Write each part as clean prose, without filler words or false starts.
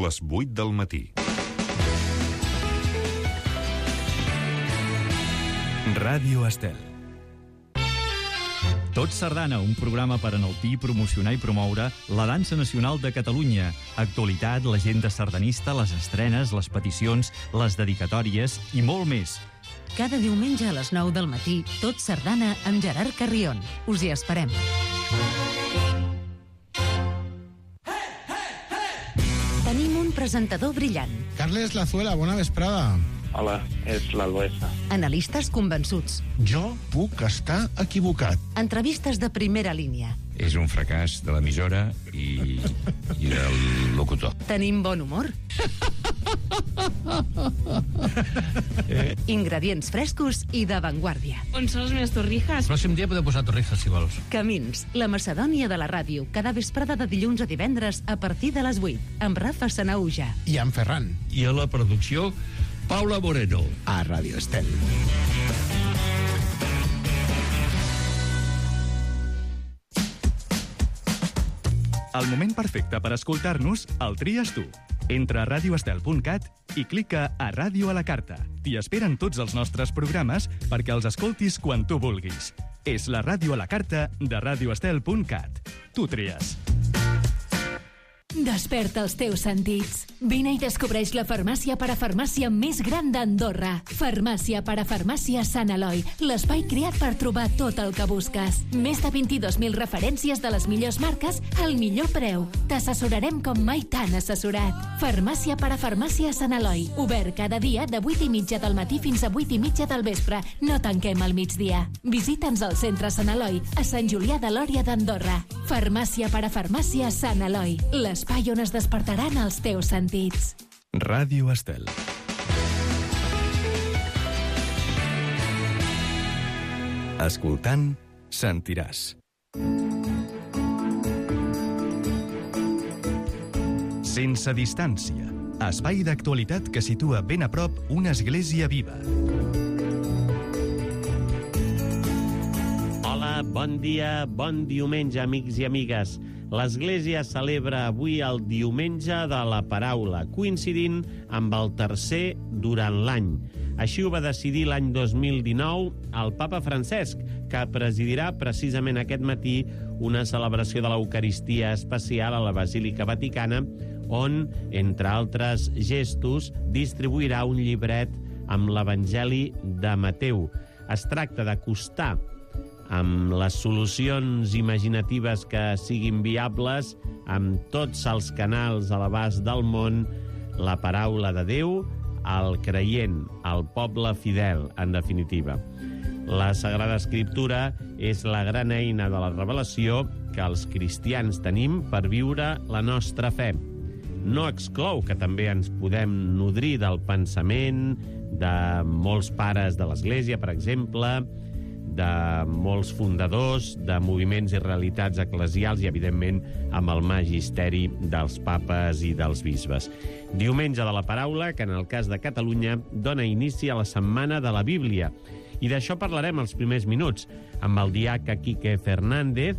les 8 del matí. Ràdio Estel. Tot Sardana, un programa per enaltir, promocionar i promoure la dansa nacional de Catalunya. Actualitat, l'agenda sardanista, les estrenes, les peticions, les dedicatòries i molt més. Cada diumenge a les 9 del matí, Tot Sardana amb Gerard Carrion. Us hi esperem. Tenim un presentador brillant. Carles Lazuela, bona vesprada. Hola, és l'Alboesa. Analistes convençuts. Jo puc estar equivocat. Entrevistes de primera línia. És un fracàs de l'emissora i del locutor. Tenim bon humor. Ingredients frescos i d'avantguàrdia. On són les meves torrijas? El pròxim dia podeu posar torrijas, si vols. Camins, la Macedònia de la ràdio, cada vesprada de dilluns a divendres a partir de les 8, amb Rafa Sanauja. I en Ferran. I a la producció, Paula Moreno. A Ràdio Estel. El moment perfecte per escoltar-nos el tries tu. Entra a radioestel.cat i clica a Ràdio a la carta. T'hi esperen tots els nostres programes perquè els escoltis quan tu vulguis. És la Ràdio a la carta de radioestel.cat. Tu tries. Desperta els teus sentits. Vine i descobreix la farmàcia parafarmàcia més gran d'Andorra. Farmàcia parafarmàcia Sant Eloi, l'espai creat per trobar tot el que busques. Més de 22.000 referències de les millors marques al millor preu. T'assessorarem com mai t'han assessorat. Farmàcia parafarmàcia Sant Eloi, obert cada dia de 8:30 del matí fins a 8:30 del vespre. No tanquem al migdia. Visita'ns al centre Sant Eloi, a Sant Julià de Lòria d'Andorra. Farmàcia parafarmàcia Sant Eloi, l'espai on es despertaran els teus sentits. Ràdio Estel. Escoltant, sentiràs. Sense distància. Espai d'actualitat que situa ben a prop una església viva. Hola, bon dia, bon diumenge, amics i amigues. L'Església celebra avui el Diumenge de la Paraula, coincidint amb el tercer durant l'any. Així ho va decidir l'any 2019 el papa Francesc, que presidirà precisament aquest matí una celebració de l'Eucaristia especial a la Basílica Vaticana, on, entre altres gestos, distribuirà un llibret amb l'Evangeli de Mateu. Es tracta d'acostar amb les solucions imaginatives que siguin viables, amb tots els canals a l'abast del món, la paraula de Déu al creient, al poble fidel, en definitiva. La Sagrada Escriptura és la gran eina de la revelació que els cristians tenim per viure la nostra fe. No exclou que també ens podem nodrir del pensament de molts pares de l'Església, per exemple, de molts fundadors, de moviments i realitats eclesials i, evidentment, amb el magisteri dels papes i dels bisbes. Diumenge de la Paraula, que en el cas de Catalunya dona inici a la Setmana de la Bíblia. I d'això parlarem els primers minuts amb el diaca Quique Fernández,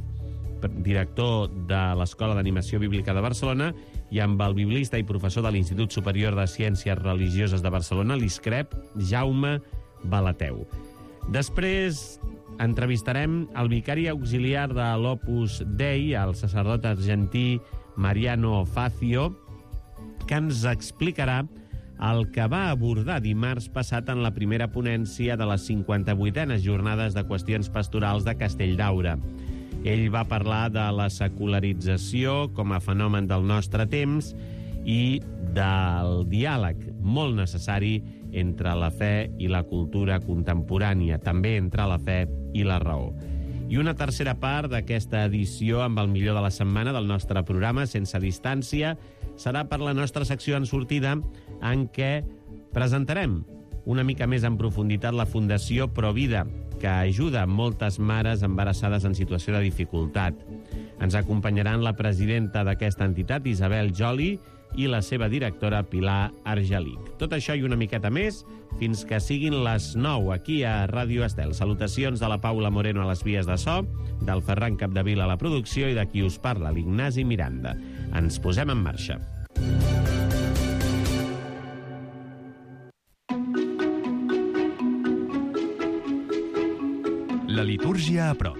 director de l'Escola d'Animació Bíblica de Barcelona, i amb el biblista i professor de l'Institut Superior de Ciències Religioses de Barcelona, l'ISCREP, Jaume Balateu. Després entrevistarem el vicari auxiliar de l'Opus Dei, el sacerdot argentí Mariano Facio, que ens explicarà el que va abordar dimarts passat en la primera ponència de les 58enes jornades de qüestions pastorals de Castelldaura. Ell va parlar de la secularització com a fenomen del nostre temps i del diàleg molt necessari entre la fe i la cultura contemporània, també entre la fe i la raó. I una tercera part d'aquesta edició amb el millor de la setmana del nostre programa, Sense distància, serà per la nostra secció en sortida, en què presentarem una mica més en profunditat la Fundació Provida, que ajuda moltes mares embarassades en situació de dificultat. Ens acompanyaran la presidenta d'aquesta entitat, Isabel Joli, i la seva directora, Pilar Argelic. Tot això i una miqueta més fins que siguin les 9 aquí a Ràdio Estel. Salutacions de la Paula Moreno a les vies de so, del Ferran Capdevila a la producció i de qui us parla, l'Ignasi Miranda. Ens posem en marxa. La litúrgia a prop.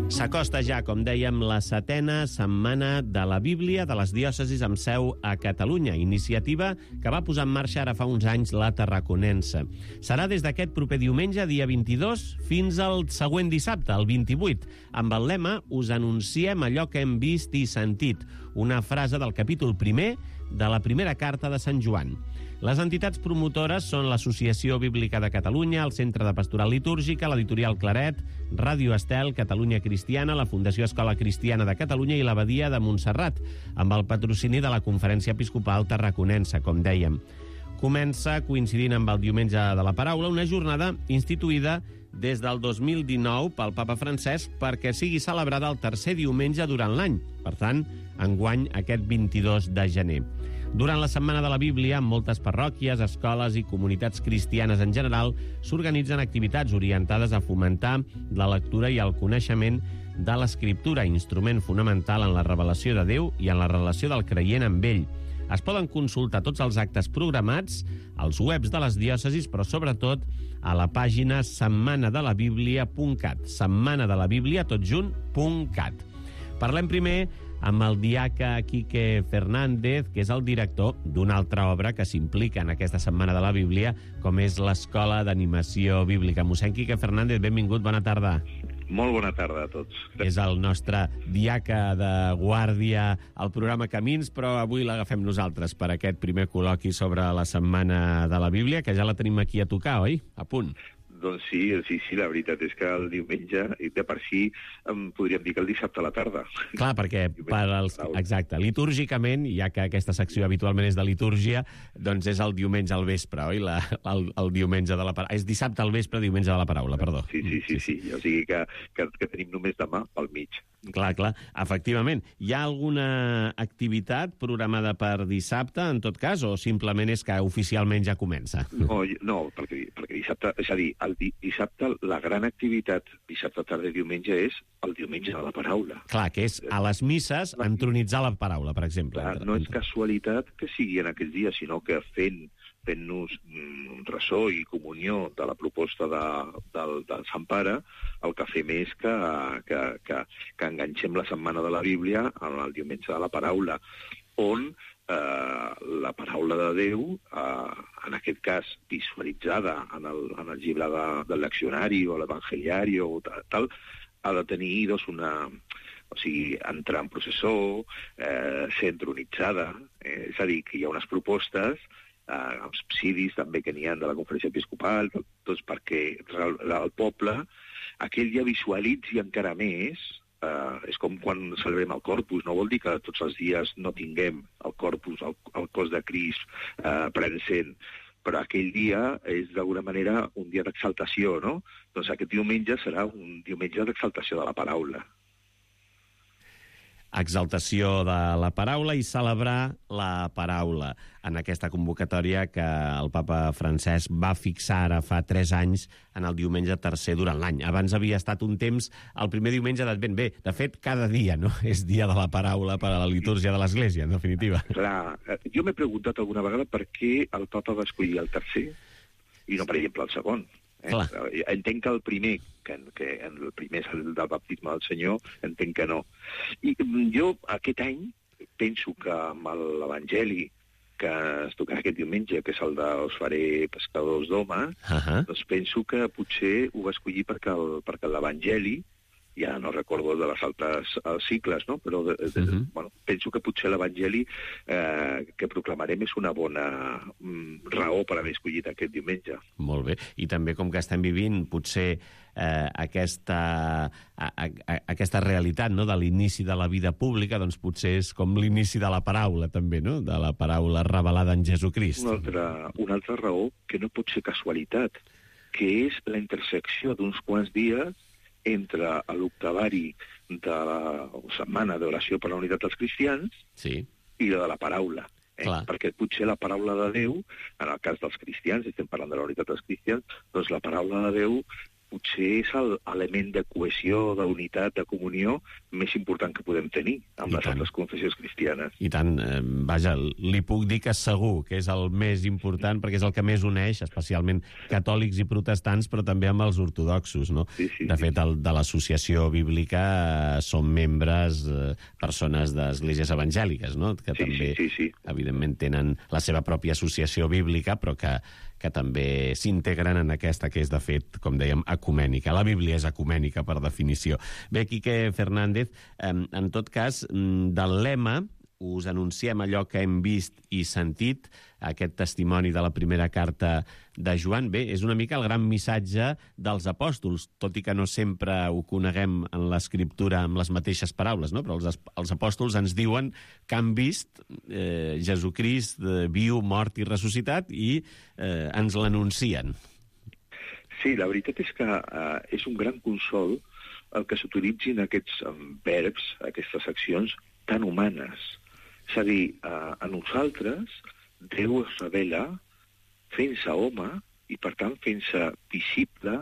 S'acosta ja, com dèiem, la 7a setmana de la Bíblia de les diòcesis amb seu a Catalunya, iniciativa que va posar en marxa ara fa uns anys la Tarraconense. Serà des d'aquest proper diumenge, dia 22, fins al següent dissabte, el 28, amb el lema «Us anunciem allò que hem vist i sentit», una frase del capítol 1 de la primera carta de Sant Joan. Les entitats promotores són l'Associació Bíblica de Catalunya, el Centre de Pastoral Litúrgica, l'Editorial Claret, Ràdio Estel, Catalunya Cristiana, la Fundació Escola Cristiana de Catalunya i l'Abadia de Montserrat, amb el patrocini de la Conferència Episcopal Tarraconense, com dèiem. Comença coincidint amb el Diumenge de la Paraula, una jornada instituïda des del 2019 pel papa Francesc perquè sigui celebrada el tercer diumenge durant l'any, per tant, enguany aquest 22 de gener. Durant la Setmana de la Bíblia, en moltes parròquies, escoles i comunitats cristianes en general, s'organitzen activitats orientades a fomentar la lectura i el coneixement de l'Escriptura, instrument fonamental en la revelació de Déu i en la relació del creient amb ell. Es poden consultar tots els actes programats als webs de les diòcesis, però sobretot a la pàgina setmanadelabiblia.cat, setmanadelabiblia.cat. Parlem primer amb el diaca Quique Fernández, que és el director d'una altra obra que s'implica en aquesta Setmana de la Bíblia, com és l'Escola d'Animació Bíblica. Mossèn Quique Fernández, benvingut, bona tarda. Molt bona tarda a tots. És el nostre diaca de guàrdia al programa Camins, però avui l'agafem nosaltres per aquest primer col·loqui sobre la Setmana de la Bíblia, que ja la tenim aquí a tocar, oi? A punt. Doncs sí, la veritat és que el diumenge, i de per si, podríem dir que el dissabte a la tarda. Clar, perquè exacte, litúrgicament, ja que aquesta secció habitualment és de litúrgia, doncs és el diumenge al vespre, oi? El diumenge de la paraula. És dissabte al vespre, diumenge de la paraula, perdó. Sí. O sigui que tenim només demà pel mig. Clar, efectivament. Hi ha alguna activitat programada per dissabte, en tot cas, o simplement és que oficialment ja comença? No, perquè dissabte, és a dir, el dissabte, la gran activitat, dissabte, tarda i diumenge, és el diumenge de la paraula. Clar, que és a les misses entronitzar la paraula, per exemple. Clar, no és casualitat que sigui en aquests dies, sinó que fent-nos ressò i comunió de la proposta del Sant Pare, el que fem és que enganxem la Setmana de la Bíblia en el diumenge de la paraula, on la paraula de Déu, en aquest cas visualitzada en el llibre del leccionari o l'evangeliari o tal, ha de tenir entrar en processó, ser entronitzada, és a dir, que hi ha unes propostes, els subsidis també que n'hi ha de la Conferència Episcopal, doncs perquè el poble aquell dia visualitzi encara més. És com quan celebrem el Corpus, no vol dir que tots els dies no tinguem el Corpus, el cos de Crist present, però aquell dia és d'alguna manera un dia d'exaltació, no? Doncs aquest diumenge serà un diumenge d'exaltació de la paraula. Exaltació de la paraula i celebrar la paraula en aquesta convocatòria que el papa Francesc va fixar ara fa 3 anys en el diumenge tercer durant l'any. Abans havia estat un temps el primer diumenge d'Advent. Bé, de fet, cada dia, no?, és dia de la paraula per a la litúrgia de l'Església, en definitiva. Clar, jo m'he preguntat alguna vegada per què el papa va escollir el tercer i no, per exemple, el segon. Entenc que el primer és el del baptisme del Senyor, entenc que no. I jo aquest any penso que amb l'Evangeli que es tocarà aquest diumenge, que és el de Us faré pescadors d'homes, doncs penso que potser ho va escollir perquè l'Evangeli, ja no recordo de les altres cicles, no? Però penso que potser l'Evangeli que proclamarem és una bona raó per haver escollit aquest diumenge. Molt bé. I també, com que estem vivint potser aquesta realitat, no?, de l'inici de la vida pública, doncs potser és com l'inici de la paraula, també, no?, de la paraula revelada en Jesucrist. Una altra raó que no pot ser casualitat, que és la intersecció d'uns quants dies entre l'octavari de la Setmana d'Oració per la Unitat dels Cristians i de la paraula. Perquè potser la paraula de Déu, en el cas dels cristians, estem parlant de la unitat dels cristians, doncs la paraula de Déu potser és l'element de cohesió, d'unitat, de comunió més important que podem tenir amb les altres confessions cristianes. I tant, vaja, li puc dir que segur que és el més important perquè és el que més uneix, especialment catòlics i protestants, però també amb els ortodoxos, no? Sí, de fet, de l'associació bíblica són membres persones d'esglésies evangèliques, no? Que també, evidentment, tenen la seva pròpia associació bíblica, però que també s'integren en aquesta que és, de fet, com dèiem, ecumènica. La Bíblia és ecumènica, per definició. Bé, Quique Fernández, en tot cas, del lema us anunciem allò que hem vist i sentit, aquest testimoni de la primera carta de Joan. Bé, és una mica el gran missatge dels apòstols, tot i que no sempre ho coneguem en l'escriptura amb les mateixes paraules, no? Però els apòstols ens diuen que han vist Jesucrist viu, mort i ressuscitat i ens l'anuncien. Sí, la veritat és que és un gran consol el que s'utilitzin aquests verbs, aquestes accions tan humanes. És a dir, a nosaltres Déu es revela fent-se home i, per tant, fent-se visible,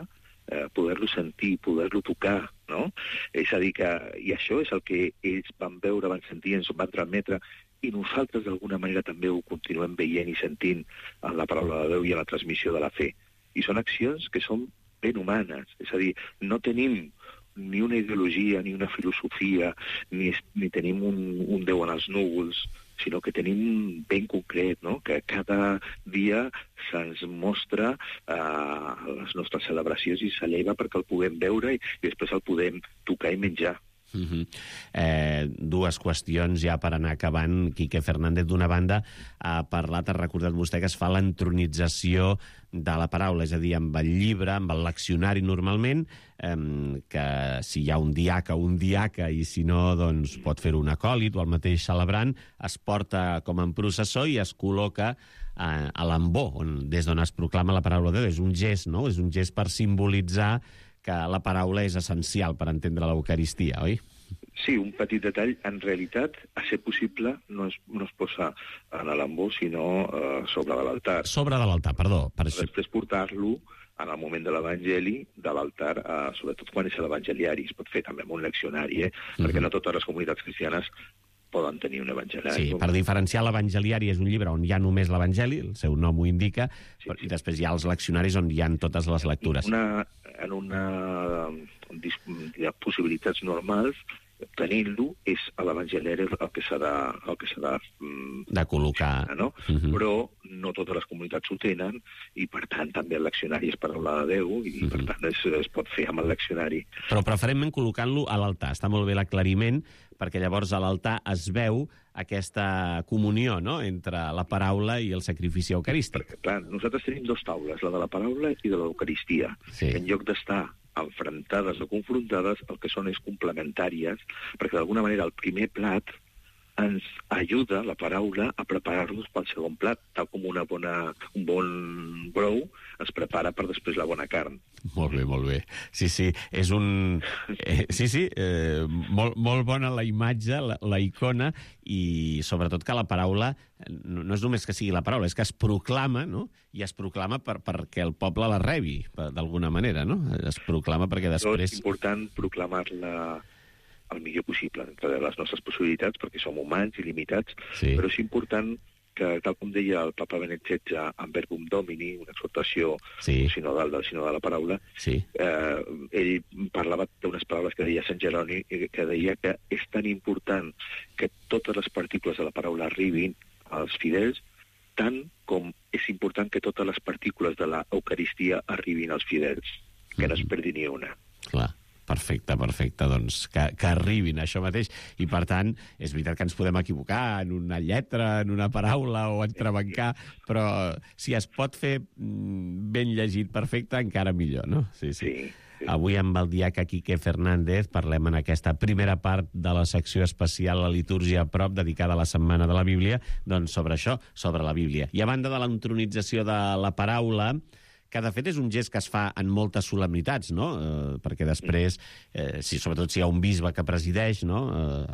poder-lo sentir, poder-lo tocar, no? És a dir, i això és el que ells van veure, van sentir, ens van transmetre, i nosaltres, d'alguna manera, també ho continuem veient i sentint en la paraula de Déu i en la transmissió de la fe. I són accions que són ben humanes, és a dir, no tenim ni una ideologia, ni una filosofia, ni tenim un Déu en els núvols, sinó que tenim ben concret, no? Que cada dia se'ns mostra les nostres celebracions i s'eleva perquè el puguem veure i després el podem tocar i menjar. Dues qüestions ja per anar acabant. Quique Fernández, d'una banda, ha parlat, ha recordat vostè que es fa l'entronització de la paraula, és a dir, amb el llibre, amb el leccionari normalment, que si hi ha un diaca i si no, doncs pot fer-ho un acòlit o el mateix celebrant, es porta com en processó i es col·loca a l'ambó, des d'on es proclama la paraula de Déu. És un gest, no? És un gest per simbolitzar que la paraula és essencial per entendre l'Eucaristia, oi? Sí, un petit detall. En realitat, a ser possible, no es posa en l'ambó, sinó sobre de l'altar. Sobre de l'altar, perdó. Després portar-lo en el moment de l'Evangeli, de l'altar, sobretot quan és l'evangeliari. Es pot fer també amb un leccionari, perquè no totes les comunitats cristianes poden tenir un evangeliari. Sí, per diferenciar, l'evangeliari és un llibre on hi ha només l'evangeli, el seu nom ho indica, i després hi ha els leccionaris on hi ha totes les lectures. En una possibilitats normals, tenint-lo és a l'evangeliari el que s'ha de col·locar, no? Però no totes les comunitats ho tenen i, per tant, també el leccionari és paraula de Déu i, per tant, es pot fer amb el leccionari. Però preferentment col·locant-lo a l'altar. Està molt bé l'aclariment, perquè llavors a l'altar es veu aquesta comunió, no?, entre la paraula i el sacrifici eucarístic. Perquè, clar, nosaltres tenim dues taules, la de la paraula i de l'Eucaristia. Sí. En lloc d'estar enfrontades o confrontades, el que són és complementàries, perquè d'alguna manera el primer plat ens ajuda, la paraula, a preparar-nos pel segon plat, tal com un bon brou ens prepara per després la bona carn. Molt bé, molt bé. Sí, és un... molt bona la imatge, la icona, i sobretot que la paraula no és només que sigui la paraula, és que es proclama, no? I es proclama perquè el poble la rebi, d'alguna manera, no? Es proclama perquè després... És important proclamar-la el millor possible, entre les nostres possibilitats, perquè som humans i limitats, però és important que, tal com deia el papa Benet XVI en Verbum Domini, una exhortació sinodal del sinó de la paraula, ell parlava d'unes paraules que deia Sant Jeroni, que deia que és tan important que totes les partícules de la paraula arribin als fidels, tant com és important que totes les partícules de l'Eucaristia arribin als fidels, que no es perdi ni una. Clar. Perfecte, doncs que arribin, això mateix. I, per tant, és veritat que ens podem equivocar en una lletra, en una paraula o entrebancar, però si es pot fer ben llegit perfecte, encara millor, no? Sí. Avui amb el diaca Quique Fernández parlem en aquesta primera part de la secció especial La litúrgia a prop, dedicada a la Setmana de la Bíblia, doncs sobre això, sobre la Bíblia. I a banda de l'entronització de la paraula, que de fet és un gest que es fa en moltes solemnitats, no? Perquè després, sobretot si hi ha un bisbe que presideix, no?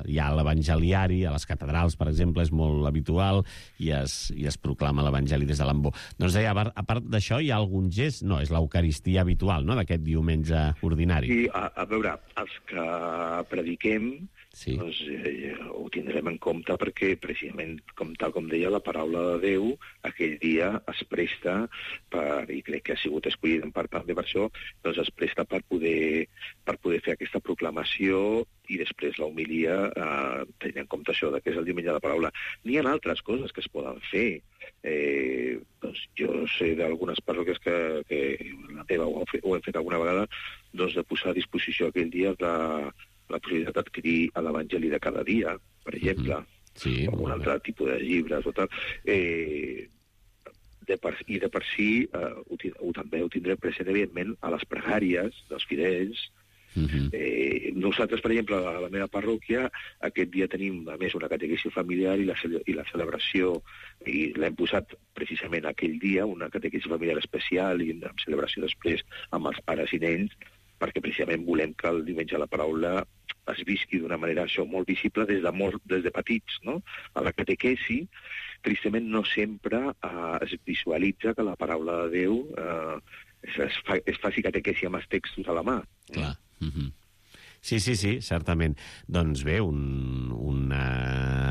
Hi ha l'evangeliari, a les catedrals, per exemple, és molt habitual, i es proclama l'evangeli des de l'ambó. Doncs deia, a part d'això, hi ha algun gest? No, és l'eucaristia habitual, no?, d'aquest diumenge ordinari. Sí, a veure, els que prediquem, sí, doncs, ho tindrem en compte perquè, precisament, tal com deia, la paraula de Déu aquell dia es presta i crec que ha sigut escollit en part també per això, doncs es presta per poder fer aquesta proclamació i després la homilia, tenint en compte això, que és el diumenge de la paraula. N'hi ha altres coses que es poden fer. Doncs jo sé d'algunes parròquies que la teva ho hem fet alguna vegada, doncs de posar a disposició aquell dia la possibilitat d'adquirir l'Evangeli de cada dia, per exemple, o algun altre tipus de llibres o tal. I de per si també ho tindrem present, evidentment, a les pregàries dels fidels. Nosaltres, per exemple, a la meva parròquia, aquest dia tenim, a més, una catequesi familiar i la celebració, i l'hem posat precisament aquell dia, una catequesi familiar especial i amb celebració després amb els pares i nens, perquè precisament volem que el diumenge de la paraula es visqui d'una manera molt visible des de petits, no? A la catequesi, tristament, no sempre es visualitza que la paraula de Déu es faci catequesi amb els textos a la mà. Clar. Sí, certament. Doncs bé, una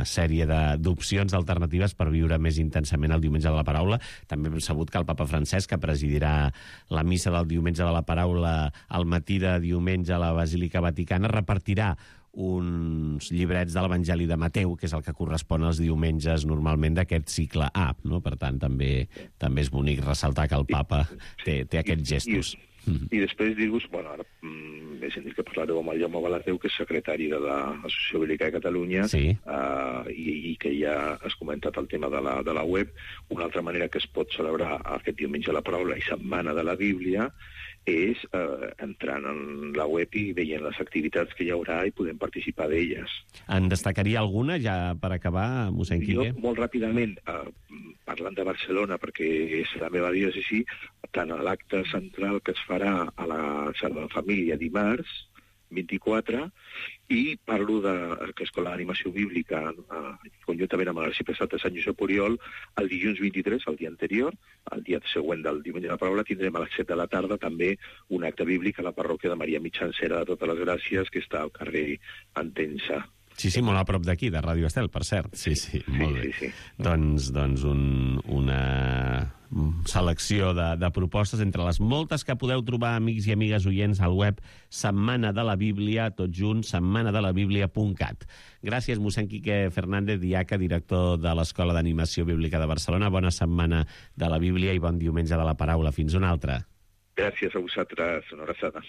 sèrie d'opcions alternatives per viure més intensament el diumenge de la paraula. També hem sabut que el papa Francesc, que presidirà la missa del diumenge de la paraula al matí de diumenge a la Basílica Vaticana, repartirà uns llibrets de l'Evangeli de Mateu, que és el que correspon als diumenges normalment d'aquest cicle A, no? Per tant, també és bonic ressaltar que el papa té aquests gestos. I després dir-vos, bueno, ara he sentit que parlareu amb el Jaume Balateu, que és secretari de l'Associació Bíblica de Catalunya, i que ja has comentat el tema de la web. Una altra manera que es pot celebrar aquest diumenge de la paraula i setmana de la Bíblia és entrant en la web i veient les activitats que hi haurà i podem participar d'elles. En destacaria alguna, ja per acabar, mossèn Quique? Jo, molt ràpidament, parlant de Barcelona, perquè és la meva diòcesi, tant a l'acte central que es farà a la Sagrada Família dimarts, 24, i parlo que és con l'animació bíblica, conjuntament amb l'arxiprestat de Sant Josep Oriol, el dilluns 23, el dia anterior, el dia següent del diumenge de la paraula, tindrem a les 7 de la tarda també un acte bíblic a la parròquia de Maria Mitjancera de Totes les Gràcies, que està al carrer Entença. Sí, molt a prop d'aquí, de Ràdio Estel, per cert. Sí, molt bé. Sí. Doncs una selecció de propostes entre les moltes que podeu trobar, amics i amigues oients, al web Setmana de la Bíblia, tot junt, setmanadelabiblia.cat. Gràcies, mossèn Quique Fernández, diaca, director de l'Escola d'Animació Bíblica de Barcelona. Bona setmana de la Bíblia i bon diumenge de la paraula. Fins una altra. Gràcies a vosaltres. Una abraçada.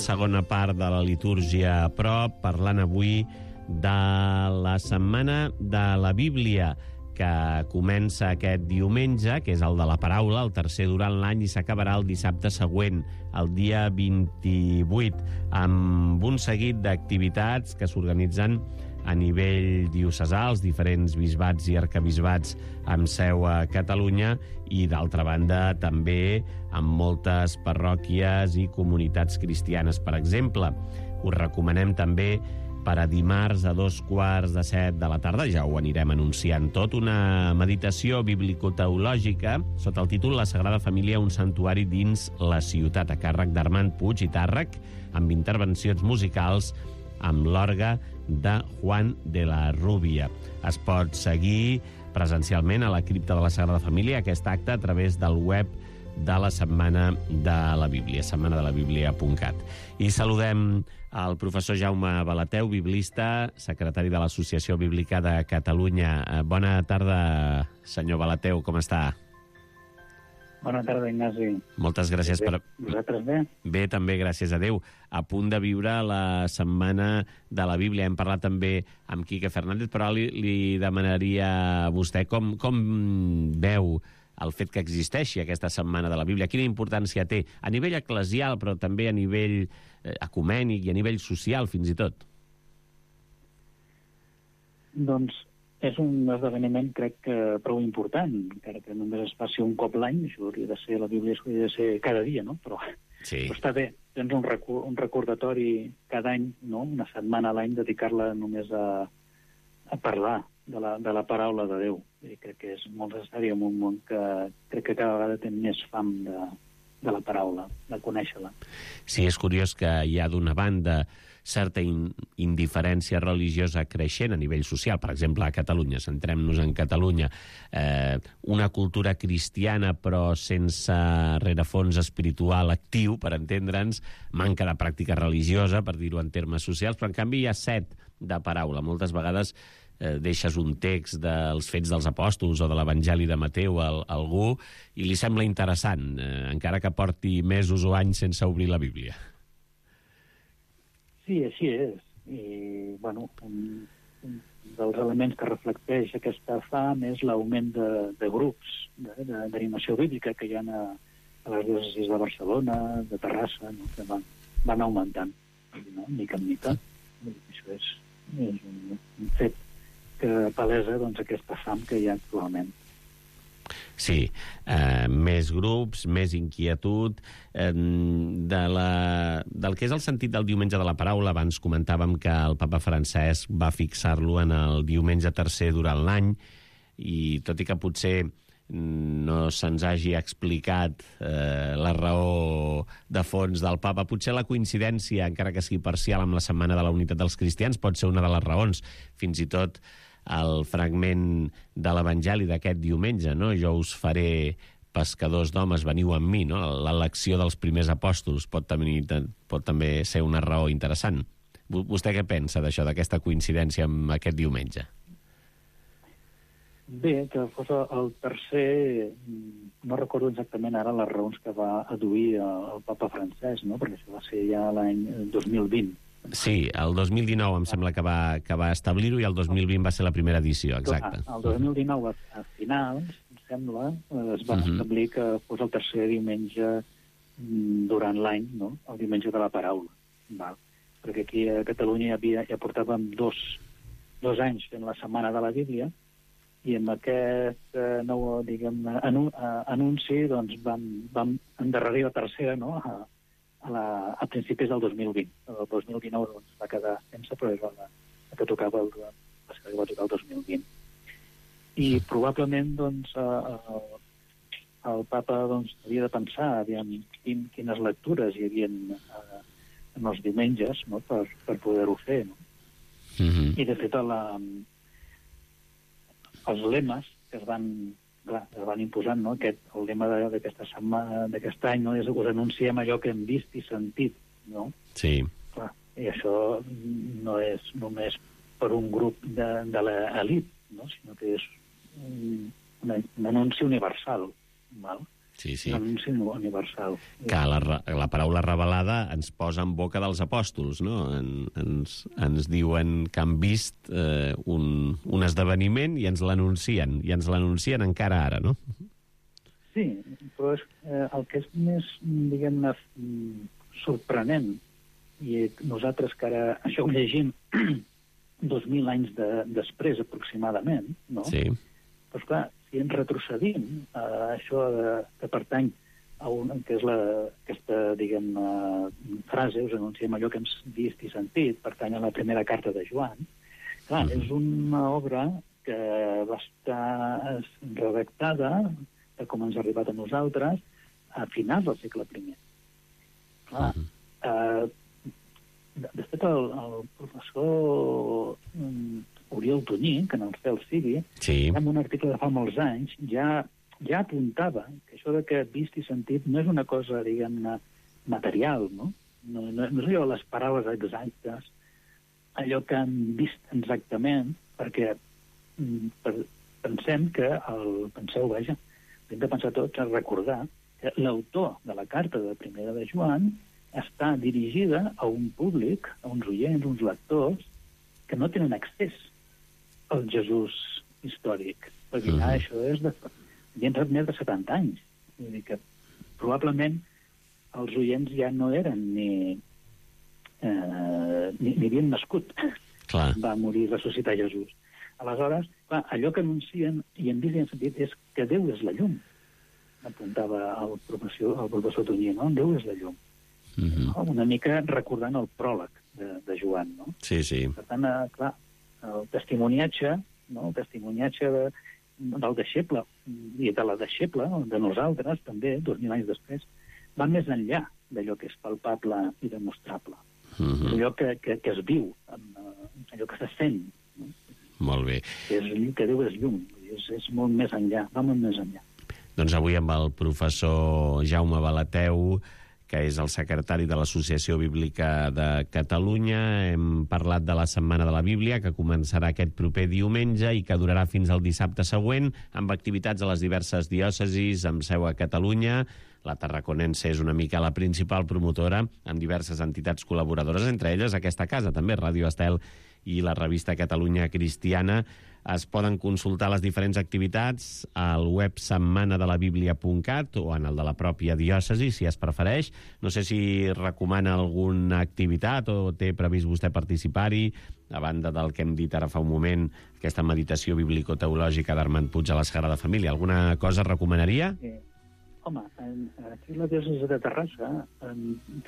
Segona part de la litúrgia a prop, parlant avui de la Setmana de la Bíblia, que comença aquest diumenge, que és el de la paraula, el tercer durant l'any, i s'acabarà el dissabte següent, el dia 28, amb un seguit d'activitats que s'organitzen a nivell diocesà, els diferents bisbats i arcabisbats amb seu a Catalunya, i d'altra banda també amb moltes parròquies i comunitats cristianes. Per exemple, us recomanem també per a dimarts a 6:45 de la tarda, ja ho anirem anunciant tot, una meditació biblicoteològica sota el títol La Sagrada Família, un santuari dins la ciutat, a càrrec d'Armand Puig i Tàrrec, amb intervencions musicals amb l'orgue de Juan de la Rúbia. Es pot seguir presencialment a la cripta de la Sagrada Família aquest acte a través del web de la Setmana de la Bíblia, setmanadelabiblia.cat. I saludem al professor Jaume Balateu, biblista, secretari de l'Associació Bíblica de Catalunya. Bona tarda, senyor Balateu, com està? Bona tarda, Ignasi. Moltes gràcies per... Vosaltres bé? Bé, també, gràcies a Déu. A punt de viure la Setmana de la Bíblia. Hem parlat també amb Quique Fernández, però li demanaria a vostè com veu el fet que existeixi aquesta Setmana de la Bíblia. Quina importància té a nivell eclesial, però també a nivell ecumènic i a nivell social, fins i tot? Doncs és un esdeveniment, crec que prou important, encara que només es faci un cop l'any, això hauria de ser, la Bíblia hauria de ser cada dia, no? Però està bé, tens un recordatori cada any, no? Una setmana a l'any, dedicar-la només a parlar de la paraula de Déu. I crec que és molt necessari en un món que crec que cada vegada té més fam de la paraula, de conèixer-la. Sí, és curiós que hi ha d'una banda certa indiferència religiosa creixent a nivell social. Per exemple, a Catalunya, centrem-nos en Catalunya, una cultura cristiana però sense rerefons espiritual actiu, per entendre'ns, manca de pràctica religiosa, per dir-ho en termes socials, però en canvi hi ha set de paraula. Moltes vegades deixes un text dels Fets dels Apòstols o de l'Evangeli de Mateu a algú i li sembla interessant, encara que porti mesos o anys sense obrir la Bíblia. Sí, així és. I, bueno, un dels elements que reflecteix aquesta fam és l'augment de grups d'animació bíblica que hi ha a les diòcesis de Barcelona, de Terrassa, no? Que van augmentant, no? Mica en mica. Això és un fet que palesa aquesta fam que hi ha actualment. Sí, més grups, més inquietud. Del que és el sentit del diumenge de la paraula, abans comentàvem que el papa Francesc va fixar-lo en el diumenge tercer durant l'any, i tot i que potser no se'ns hagi explicat la raó de fons del papa, potser la coincidència, encara que sigui parcial, amb la Setmana de la Unitat dels Cristians pot ser una de les raons. Fins i tot el fragment de l'Evangeli d'aquest diumenge, no? Jo us faré pescadors d'homes, veniu amb mi, no? L'elecció dels primers apòstols pot també ser una raó interessant. Vostè què pensa d'això, d'aquesta coincidència amb aquest diumenge? Bé, que fos el tercer, no recordo exactament ara les raons que va adduir el papa Francesc, no? Perquè això va ser ja l'any 2020. Sí, el 2019 em sembla que va establir-ho i el 2020 va ser la primera edició, exacte. El 2019, a finals, em sembla, es va establir que fos el tercer diumenge durant l'any, no? El diumenge de la paraula. Val? Perquè aquí a Catalunya ja portàvem dos anys fent la Setmana de la Bíblia i amb aquest nou, anunci doncs, vam endarrerir la tercera, no?, a principis del 2020. El 2019 doncs, va quedar sense, però és la que tocava va tocar el 2020. I probablement doncs, el papa doncs, havia de pensar quines lectures hi havia en els diumenges, no?, per poder-ho fer. No? I de fet els lemes que es van imposant, no? El lema d'aquesta setmana, d'aquest any, no? És us anunciem allò que hem vist i sentit, no? Sí. Clar, i això no és només per un grup de l'elit, no? Sinó que és un anunci universal, val? Sí, sí. Un anunci universal. Que la paraula revelada ens posa en boca dels apòstols, no? Ens diuen que han vist un esdeveniment i ens l'anuncien encara ara, no? Sí, però el que és més, diguem-ne, sorprenent, i nosaltres que ara això ho llegim 2.000 anys després, aproximadament, no? Sí. Doncs clar, si ens retrocedim a això que pertany a que és aquesta, diguem, frase, us anunciem allò que hem vist i sentit, pertany a la primera carta de Joan. Clar, és una obra que va estar redactada, com ens ha arribat a nosaltres, a finals del segle I. Clar, de fet, el professor Oriol Tonyí, que en el cel sigui, en un article de fa molts anys, ja apuntava que això de que vist i sentit no és una cosa, diguem-ne, material, no? No és allò les paraules exactes, allò que han vist exactament, perquè penseu, hem de pensar tots a recordar que l'autor de la carta de Primera de Joan està dirigida a un públic, a uns oients, uns lectors, que no tenen accés al Jesús històric. Perquè ja això és de més de 70 anys. Vull dir que probablement els oients ja no eren ni havien nascut. Clar. Va morir i ressuscitar Jesús. Aleshores, clar, allò que anuncien i en vist i en sentit és que Déu és la llum. Apuntava el professor Tonyí, no? Déu és la llum. Una mica recordant el pròleg de Joan, no? Sí. Per tant, clar, el testimoniatge, no? El testimoniatge del deixeble i de la deixeble, de nosaltres, també, 2000 anys després, va més enllà d'allò que és palpable i demostrable. Allò que es viu, allò que se sent. No? Molt bé. Que Déu és llum, és molt més enllà, va molt més enllà. Doncs avui amb el professor Jaume Balateu, que és el secretari de l'Associació Bíblica de Catalunya, hem parlat de la Setmana de la Bíblia, que començarà aquest proper diumenge i que durarà fins al dissabte següent, amb activitats a les diverses diòcesis, amb seu a Catalunya. La tarraconense és una mica la principal promotora, amb diverses entitats col·laboradores, entre elles aquesta casa, també, Ràdio Estel i la revista Catalunya Cristiana. Es poden consultar les diferents activitats al web setmanadelabiblia.cat o en el de la pròpia diòcesi, si es prefereix. No sé si recomana alguna activitat o té previst vostè participar-hi, a banda del que hem dit ara fa un moment, aquesta meditació biblicoteològica d'Armand Puig a la Sagrada Família. Alguna cosa recomanaria? Home, aquí a la diòcesi de Terrassa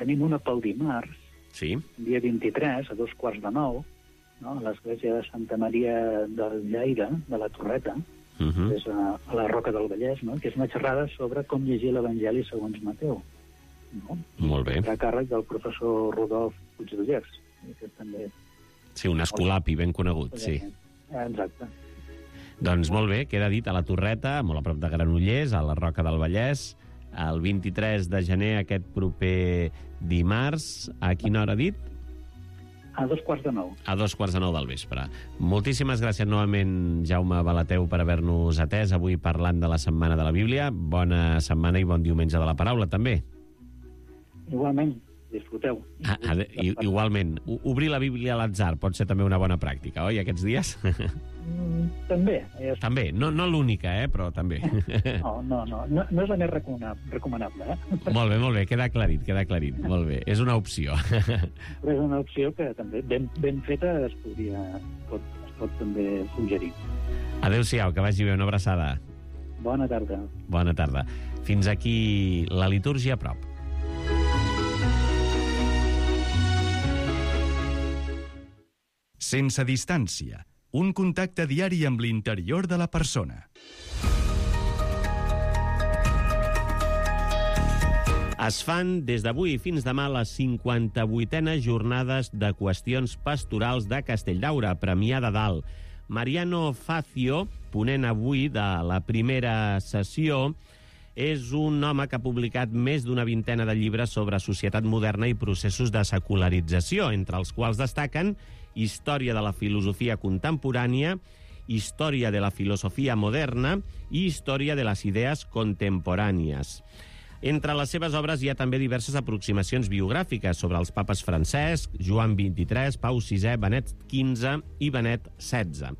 tenim una pel dimarts, dia 23, a 8:45, no? A l'església de Santa Maria del Llaire, de la Torreta, que és a la Roca del Vallès, no? Que és una xerrada sobre com llegir l'Evangeli segons Mateu. No? Molt bé. A càrrec del professor Rodolf Puigdollers, que és també... Sí, un escolapi ben conegut, sí. Exacte. Doncs molt bé, queda dit a la Torreta, molt a prop de Granollers, a la Roca del Vallès, el 23 de gener, aquest proper dimarts. A quina hora ha dit? A 8:45. A 8:45 del vespre. Moltíssimes gràcies novament, Jaume Balateu, per haver-nos atès avui parlant de la Setmana de la Bíblia. Bona setmana i bon diumenge de la paraula, també. Igualment, disfruteu. Igualment. Obrir la Bíblia a l'atzar pot ser també una bona pràctica, oi, aquests dies? També. També, no l'única, però també. No és la més recomanable. Molt bé, queda aclarit, molt bé. És una opció. Però és una opció que també, ben feta, es pot també suggerir. Adéu-siau, que vagi bé, una abraçada. Bona tarda. Bona tarda. Fins aquí la litúrgia a prop. Sense distància. Un contacte diari amb l'interior de la persona. Es fan des d'avui fins demà les 58enes jornades de qüestions pastorals de Castelldaura, Premià de Dalt. Mariano Facio, ponent avui de la primera sessió, és un home que ha publicat més d'una vintena de llibres sobre societat moderna i processos de secularització, entre els quals destaquen Història de la filosofia contemporània, Història de la filosofia moderna i Història de les idees contemporànies. Entre les seves obres hi ha també diverses aproximacions biogràfiques sobre els papes Francesc, Joan XXIII, Pau VI, Benet XV i Benet XVI.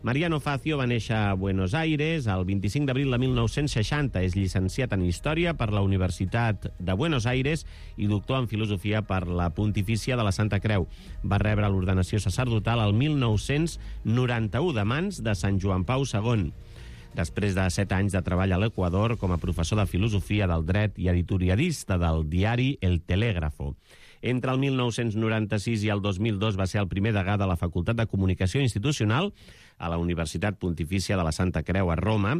Mariano Facio va néixer a Buenos Aires el 25 d'abril de 1960. És llicenciat en Història per la Universitat de Buenos Aires i doctor en Filosofia per la Pontifícia de la Santa Creu. Va rebre l'ordenació sacerdotal el 1991 de mans de Sant Joan Pau II. Després de 7 anys de treball a l'Equador com a professor de Filosofia del Dret i editorialista del diari El Telégrafo. Entre el 1996 i el 2002 va ser el primer degà de la Facultat de Comunicació Institucional a la Universitat Pontifícia de la Santa Creu a Roma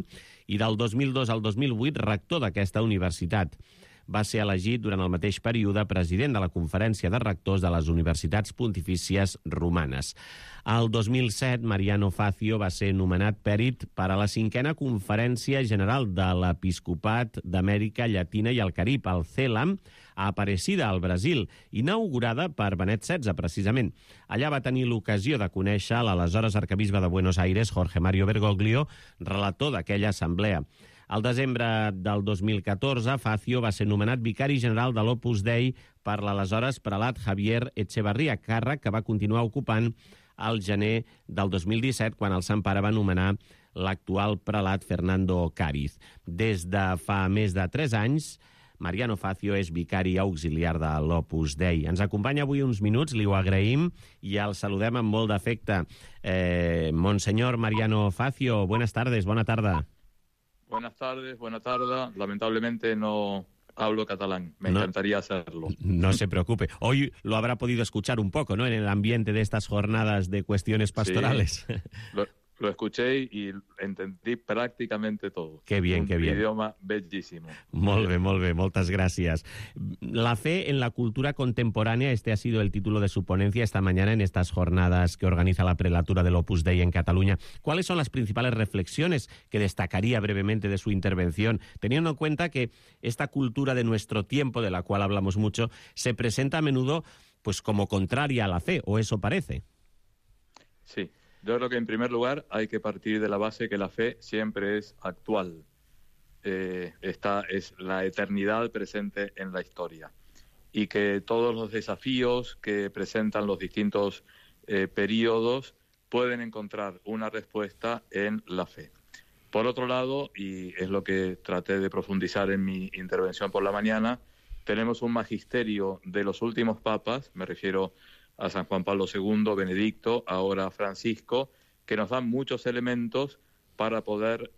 i del 2002 al 2008 rector d'aquesta universitat. Va ser elegit durant el mateix període president de la Conferència de Rectors de les Universitats Pontifícies Romanes. Al 2007, Mariano Facio va ser nomenat pèrit per a la 5a Conferència General de l'Episcopat d'Amèrica Llatina i el Carib, el CELAM, a Aparecida, al Brasil, inaugurada per Benet XVI, precisament. Allà va tenir l'ocasió de conèixer l'aleshores arquebisbe de Buenos Aires, Jorge Mario Bergoglio, relator d'aquella assemblea. Al desembre del 2014, Facio va ser nomenat vicari general de l'Opus Dei per l'aleshores prelat Javier Echevarría, càrrec que va continuar ocupant al gener del 2017, quan el Sant Pare va nomenar l'actual prelat Fernando Cáriz. Des de fa més de 3 anys, Mariano Facio és vicari auxiliar de l'Opus Dei. Ens acompanya avui uns minuts, li ho agraïm i el saludem amb molt d'afecte. Monseñor Mariano Facio, buenas tardes, bona tarda. Buenas tardes, buena tarde. Lamentablemente no hablo catalán, me encantaría hacerlo. No se preocupe. Hoy lo habrá podido escuchar un poco, ¿no?, en el ambiente de estas jornadas de cuestiones pastorales. Sí, lo escuché y entendí prácticamente todo. Qué bien, qué bien. Un idioma bellísimo. Molt bé, moltes gràcies. La fe en la cultura contemporánea, este ha sido el título de su ponencia esta mañana en estas jornadas que organiza la prelatura del Opus Dei en Cataluña. ¿Cuáles son las principales reflexiones que destacaría brevemente de su intervención, teniendo en cuenta que esta cultura de nuestro tiempo, de la cual hablamos mucho, se presenta a menudo pues como contraria a la fe, o eso parece? Sí. Yo creo que en primer lugar hay que partir de la base que la fe siempre es actual. Esta es la eternidad presente en la historia. Y que todos los desafíos que presentan los distintos periodos pueden encontrar una respuesta en la fe. Por otro lado, y es lo que traté de profundizar en mi intervención por la mañana, tenemos un magisterio de los últimos papas, me refiero a San Juan Pablo II, Benedicto, ahora Francisco, que nos dan muchos elementos para poder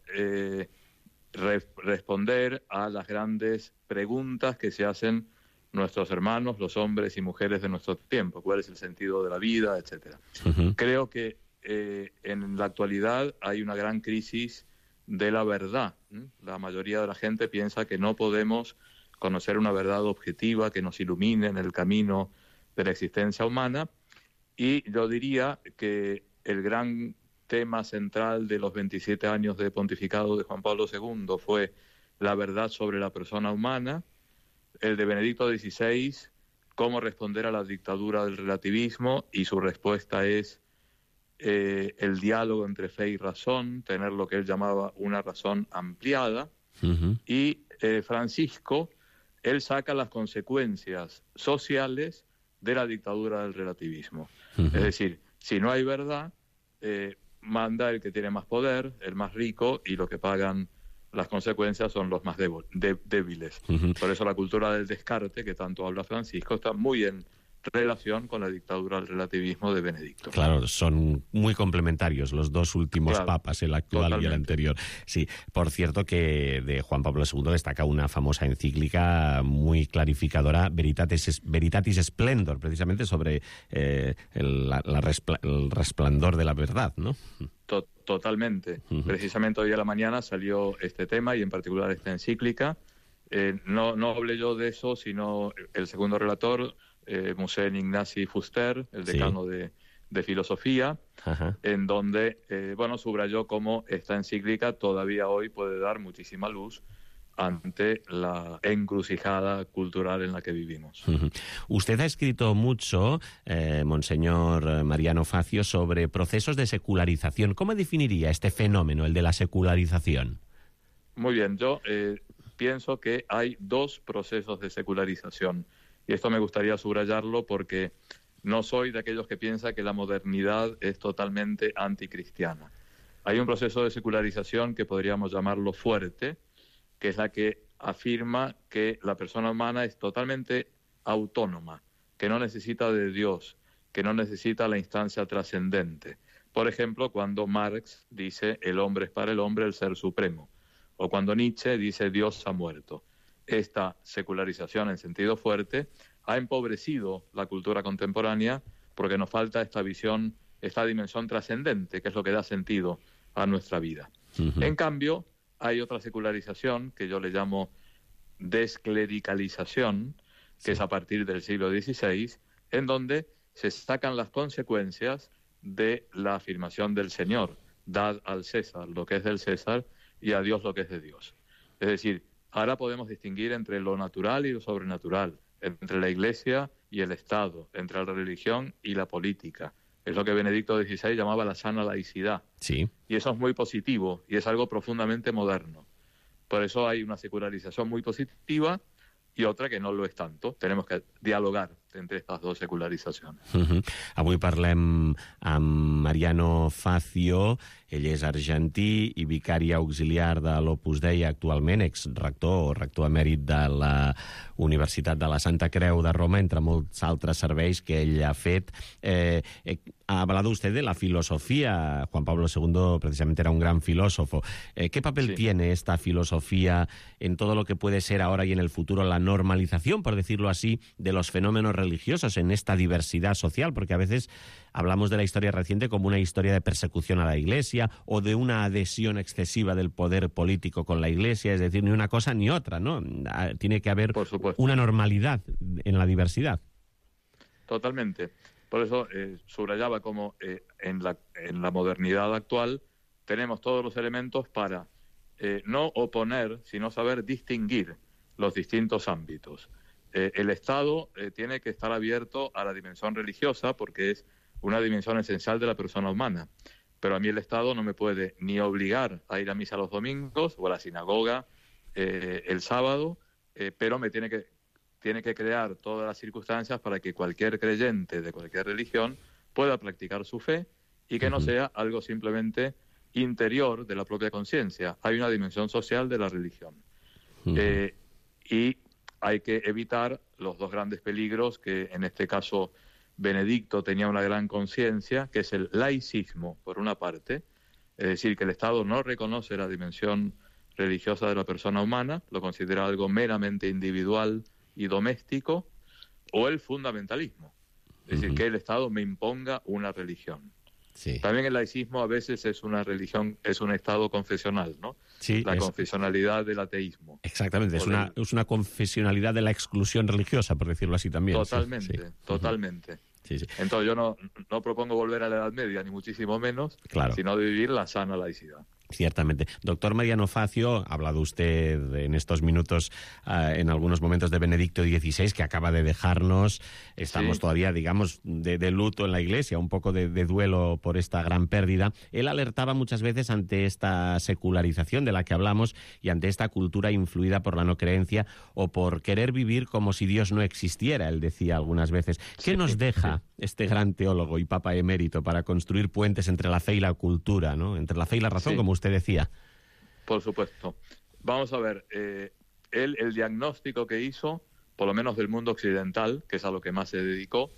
responder a las grandes preguntas que se hacen nuestros hermanos, los hombres y mujeres de nuestro tiempo. ¿Cuál es el sentido de la vida?, etcétera. Creo que en la actualidad hay una gran crisis de la verdad. La mayoría de la gente piensa que no podemos conocer una verdad objetiva que nos ilumine en el camino de la existencia humana, y yo diría que el gran tema central de los 27 años de pontificado de Juan Pablo II fue la verdad sobre la persona humana, el de Benedicto XVI, cómo responder a la dictadura del relativismo, y su respuesta es el diálogo entre fe y razón, tener lo que él llamaba una razón ampliada, y Francisco, él saca las consecuencias sociales de la dictadura del relativismo. Es decir, si no hay verdad, manda el que tiene más poder, el más rico, y lo que pagan las consecuencias son los más débiles. Por eso la cultura del descarte, que tanto habla Francisco, está muy en relación con la dictadura del relativismo de Benedicto. Claro, son muy complementarios los dos últimos papas, el actual y el anterior. Sí, por cierto que de Juan Pablo II destaca una famosa encíclica muy clarificadora, Veritatis Splendor, precisamente sobre el resplandor de la verdad, ¿no? Totalmente. Precisamente hoy a la mañana salió este tema, y en particular esta encíclica. No hablé yo de eso, sino el segundo relator, Monseigneur Ignasi Fuster, el decano de filosofía, en donde subrayó cómo esta encíclica todavía hoy puede dar muchísima luz ante la encrucijada cultural en la que vivimos. Usted ha escrito mucho, Monseñor Mariano Facio, sobre procesos de secularización. ¿Cómo definiría este fenómeno, el de la secularización? Muy bien, yo pienso que hay dos procesos de secularización. Y esto me gustaría subrayarlo porque no soy de aquellos que piensan que la modernidad es totalmente anticristiana. Hay un proceso de secularización que podríamos llamarlo fuerte, que es la que afirma que la persona humana es totalmente autónoma, que no necesita de Dios, que no necesita la instancia trascendente. Por ejemplo, cuando Marx dice el hombre es para el hombre el ser supremo, o cuando Nietzsche dice Dios ha muerto. Esta secularización en sentido fuerte ha empobrecido la cultura contemporánea porque nos falta esta visión, esta dimensión trascendente, que es lo que da sentido a nuestra vida. En cambio, hay otra secularización que yo le llamo desclericalización, que es a partir del siglo XVI, en donde se sacan las consecuencias de la afirmación del Señor: dad al César lo que es del César y a Dios lo que es de Dios. Es decir, ahora podemos distinguir entre lo natural y lo sobrenatural, entre la Iglesia y el Estado, entre la religión y la política. Es lo que Benedicto XVI llamaba la sana laicidad. Sí. Y eso es muy positivo y es algo profundamente moderno. Por eso hay una secularización muy positiva i otra que no lo és tanto. Tenemos que dialogar entre estas dos secularizacions. Avui parlem amb Mariano Facio. Ell és argentí i vicari auxiliar de l'Opus Dei actualment, exrector o rector emèrit de la Universitat de la Santa Creu de Roma, entre molts altres serveis que ell ha fet. Ha hablado usted de la filosofía. Juan Pablo II precisamente era un gran filósofo. ¿Qué papel tiene esta filosofía en todo lo que puede ser ahora y en el futuro la normalización, por decirlo así, de los fenómenos religiosos en esta diversidad social? Porque a veces hablamos de la historia reciente como una historia de persecución a la Iglesia o de una adhesión excesiva del poder político con la Iglesia, es decir, ni una cosa ni otra, ¿no? Tiene que haber una normalidad en la diversidad. Totalmente. Por eso subrayaba como en la modernidad actual tenemos todos los elementos para no oponer, sino saber distinguir los distintos ámbitos. El Estado tiene que estar abierto a la dimensión religiosa porque es una dimensión esencial de la persona humana. Pero a mí el Estado no me puede ni obligar a ir a misa los domingos o a la sinagoga el sábado, pero me tiene que crear todas las circunstancias para que cualquier creyente de cualquier religión pueda practicar su fe y que no sea algo simplemente interior de la propia conciencia. Hay una dimensión social de la religión. Y hay que evitar los dos grandes peligros que en este caso Benedicto tenía una gran conciencia, que es el laicismo, por una parte, es decir, que el Estado no reconoce la dimensión religiosa de la persona humana, lo considera algo meramente individual y doméstico, o el fundamentalismo, es decir, que el Estado me imponga una religión. Sí. También el laicismo a veces es una religión, es un estado confesional, ¿no? Sí, la confesionalidad del ateísmo. Exactamente, es una confesionalidad de la exclusión religiosa, por decirlo así también. Totalmente, totalmente. Sí, sí. Entonces yo no propongo volver a la Edad Media, ni muchísimo menos, sino de vivir la sana laicidad. Ciertamente. Doctor Mariano Facio, ha hablado usted en estos minutos, en algunos momentos, de Benedicto XVI, que acaba de dejarnos. Estamos todavía, digamos, de luto en la Iglesia, un poco de duelo por esta gran pérdida. Él alertaba muchas veces ante esta secularización de la que hablamos y ante esta cultura influida por la no creencia o por querer vivir como si Dios no existiera, él decía algunas veces. ¿Qué nos deja este gran teólogo y papa emérito para construir puentes entre la fe y la cultura, ¿no? Entre la fe y la razón, como usted decía? Por supuesto. Vamos a ver, el diagnóstico que hizo, por lo menos del mundo occidental, que es a lo que más se dedicó,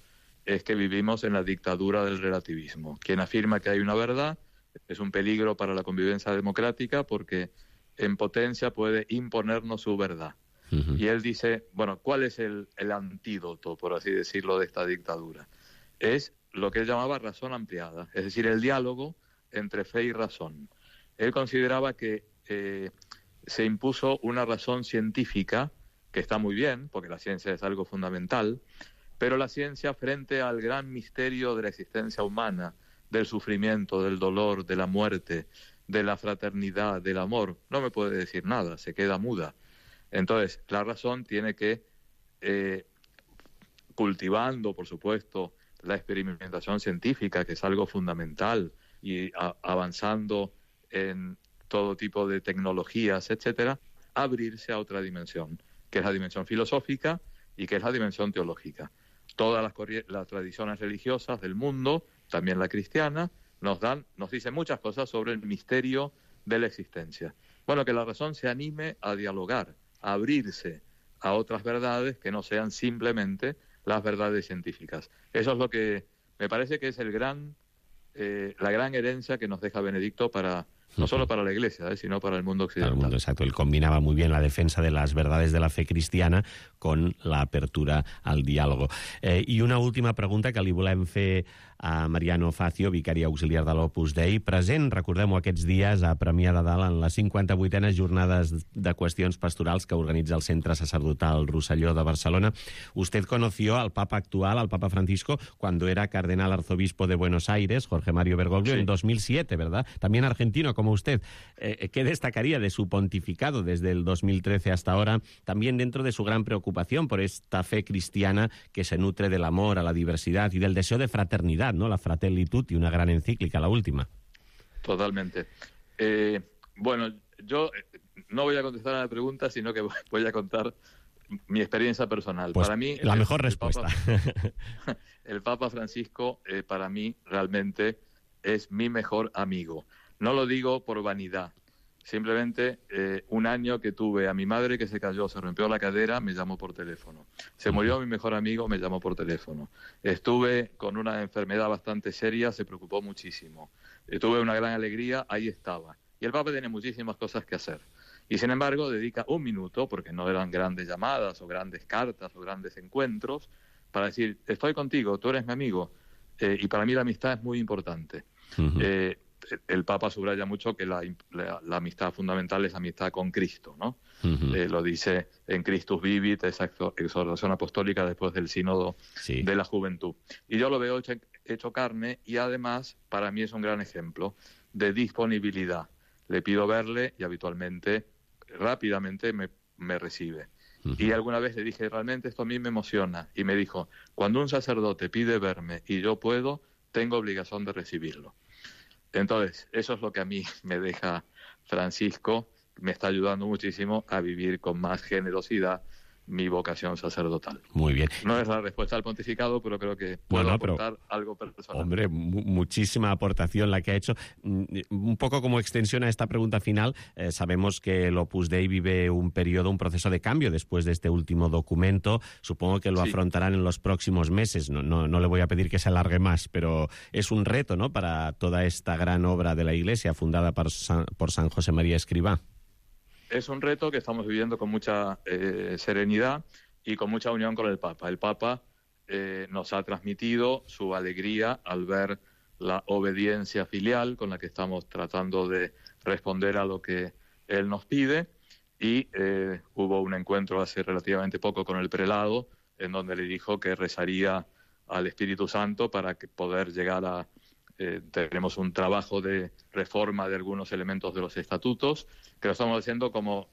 es que vivimos en la dictadura del relativismo. Quien afirma que hay una verdad es un peligro para la convivencia democrática porque en potencia puede imponernos su verdad. Y él dice, bueno, ¿cuál es el antídoto, por así decirlo, de esta dictadura? Es lo que él llamaba razón ampliada, es decir, el diálogo entre fe y razón. Él consideraba que se impuso una razón científica, que está muy bien, porque la ciencia es algo fundamental, pero la ciencia frente al gran misterio de la existencia humana, del sufrimiento, del dolor, de la muerte, de la fraternidad, del amor, no me puede decir nada, se queda muda. Entonces, la razón tiene que, cultivando, por supuesto, la experimentación científica, que es algo fundamental, y avanzando en todo tipo de tecnologías, etcétera, abrirse a otra dimensión, que es la dimensión filosófica y que es la dimensión teológica. Todas las tradiciones religiosas del mundo, también la cristiana, nos dicen muchas cosas sobre el misterio de la existencia. Bueno, que la razón se anime a dialogar, a abrirse a otras verdades que no sean simplemente las verdades científicas. Eso es lo que me parece que es la gran herencia que nos deja Benedicto no solo para la Iglesia, sino para el mundo occidental. Para el mundo, exacto. Él combinaba muy bien la defensa de las verdades de la fe cristiana con la apertura al diàlogo. I una última pregunta que li volem fer a Mariano Facio, vicari auxiliar de l'Opus Dei, present, recordem-ho, aquests dies a Premià de Dalt en les 58enes jornades de qüestions pastorals que organitza el Centre Sacerdotal Rosselló de Barcelona. Usted conoció al Papa actual, al Papa Francisco, cuando era cardenal arzobispo de Buenos Aires, Jorge Mario Bergoglio, en 2007, ¿verdad? También argentino como usted. ¿Qué destacaría de su pontificado desde el 2013 hasta ahora? También dentro de su gran preocupación por esta fe cristiana que se nutre del amor a la diversidad y del deseo de fraternidad, ¿no? La Fratelli Tutti, una gran encíclica, la última. Totalmente. Bueno, yo no voy a contestar a la pregunta, sino que voy a contar mi experiencia personal. Pues para mí, la mejor respuesta. El Papa Francisco, para mí, realmente es mi mejor amigo. No lo digo por vanidad. Simplemente un año que tuve a mi madre que se cayó, se rompió la cadera, me llamó por teléfono. Se murió mi mejor amigo, me llamó por teléfono. Estuve con una enfermedad bastante seria, se preocupó muchísimo. Tuve una gran alegría, ahí estaba. Y el Papa tiene muchísimas cosas que hacer. Y sin embargo dedica un minuto, porque no eran grandes llamadas o grandes cartas o grandes encuentros, para decir, estoy contigo, tú eres mi amigo. Y para mí la amistad es muy importante. El Papa subraya mucho que la amistad fundamental es la amistad con Cristo, ¿no? Lo dice en Christus Vivit, esa exhortación apostólica después del sínodo de la juventud. Y yo lo veo hecho carne, y además para mí es un gran ejemplo de disponibilidad. Le pido verle y habitualmente, rápidamente me recibe. Y alguna vez le dije, realmente esto a mí me emociona. Y me dijo, cuando un sacerdote pide verme y yo puedo, tengo obligación de recibirlo. Entonces, eso es lo que a mí me deja Francisco, me está ayudando muchísimo a vivir con más generosidad mi vocación sacerdotal. Muy bien. No es la respuesta al pontificado, pero creo que puedo aportar algo personal. Hombre, muchísima aportación la que ha hecho. Un poco como extensión a esta pregunta final, sabemos que el Opus Dei vive un proceso de cambio después de este último documento. Supongo que lo afrontarán en los próximos meses. No le voy a pedir que se alargue más, pero es un reto, ¿no?, para toda esta gran obra de la Iglesia fundada por San José María Escrivá. Es un reto que estamos viviendo con mucha serenidad y con mucha unión con el Papa. El Papa nos ha transmitido su alegría al ver la obediencia filial con la que estamos tratando de responder a lo que él nos pide, y hubo un encuentro hace relativamente poco con el prelado en donde le dijo que rezaría al Espíritu Santo para poder llegar a... tenemos un trabajo de reforma de algunos elementos de los estatutos, que lo estamos haciendo como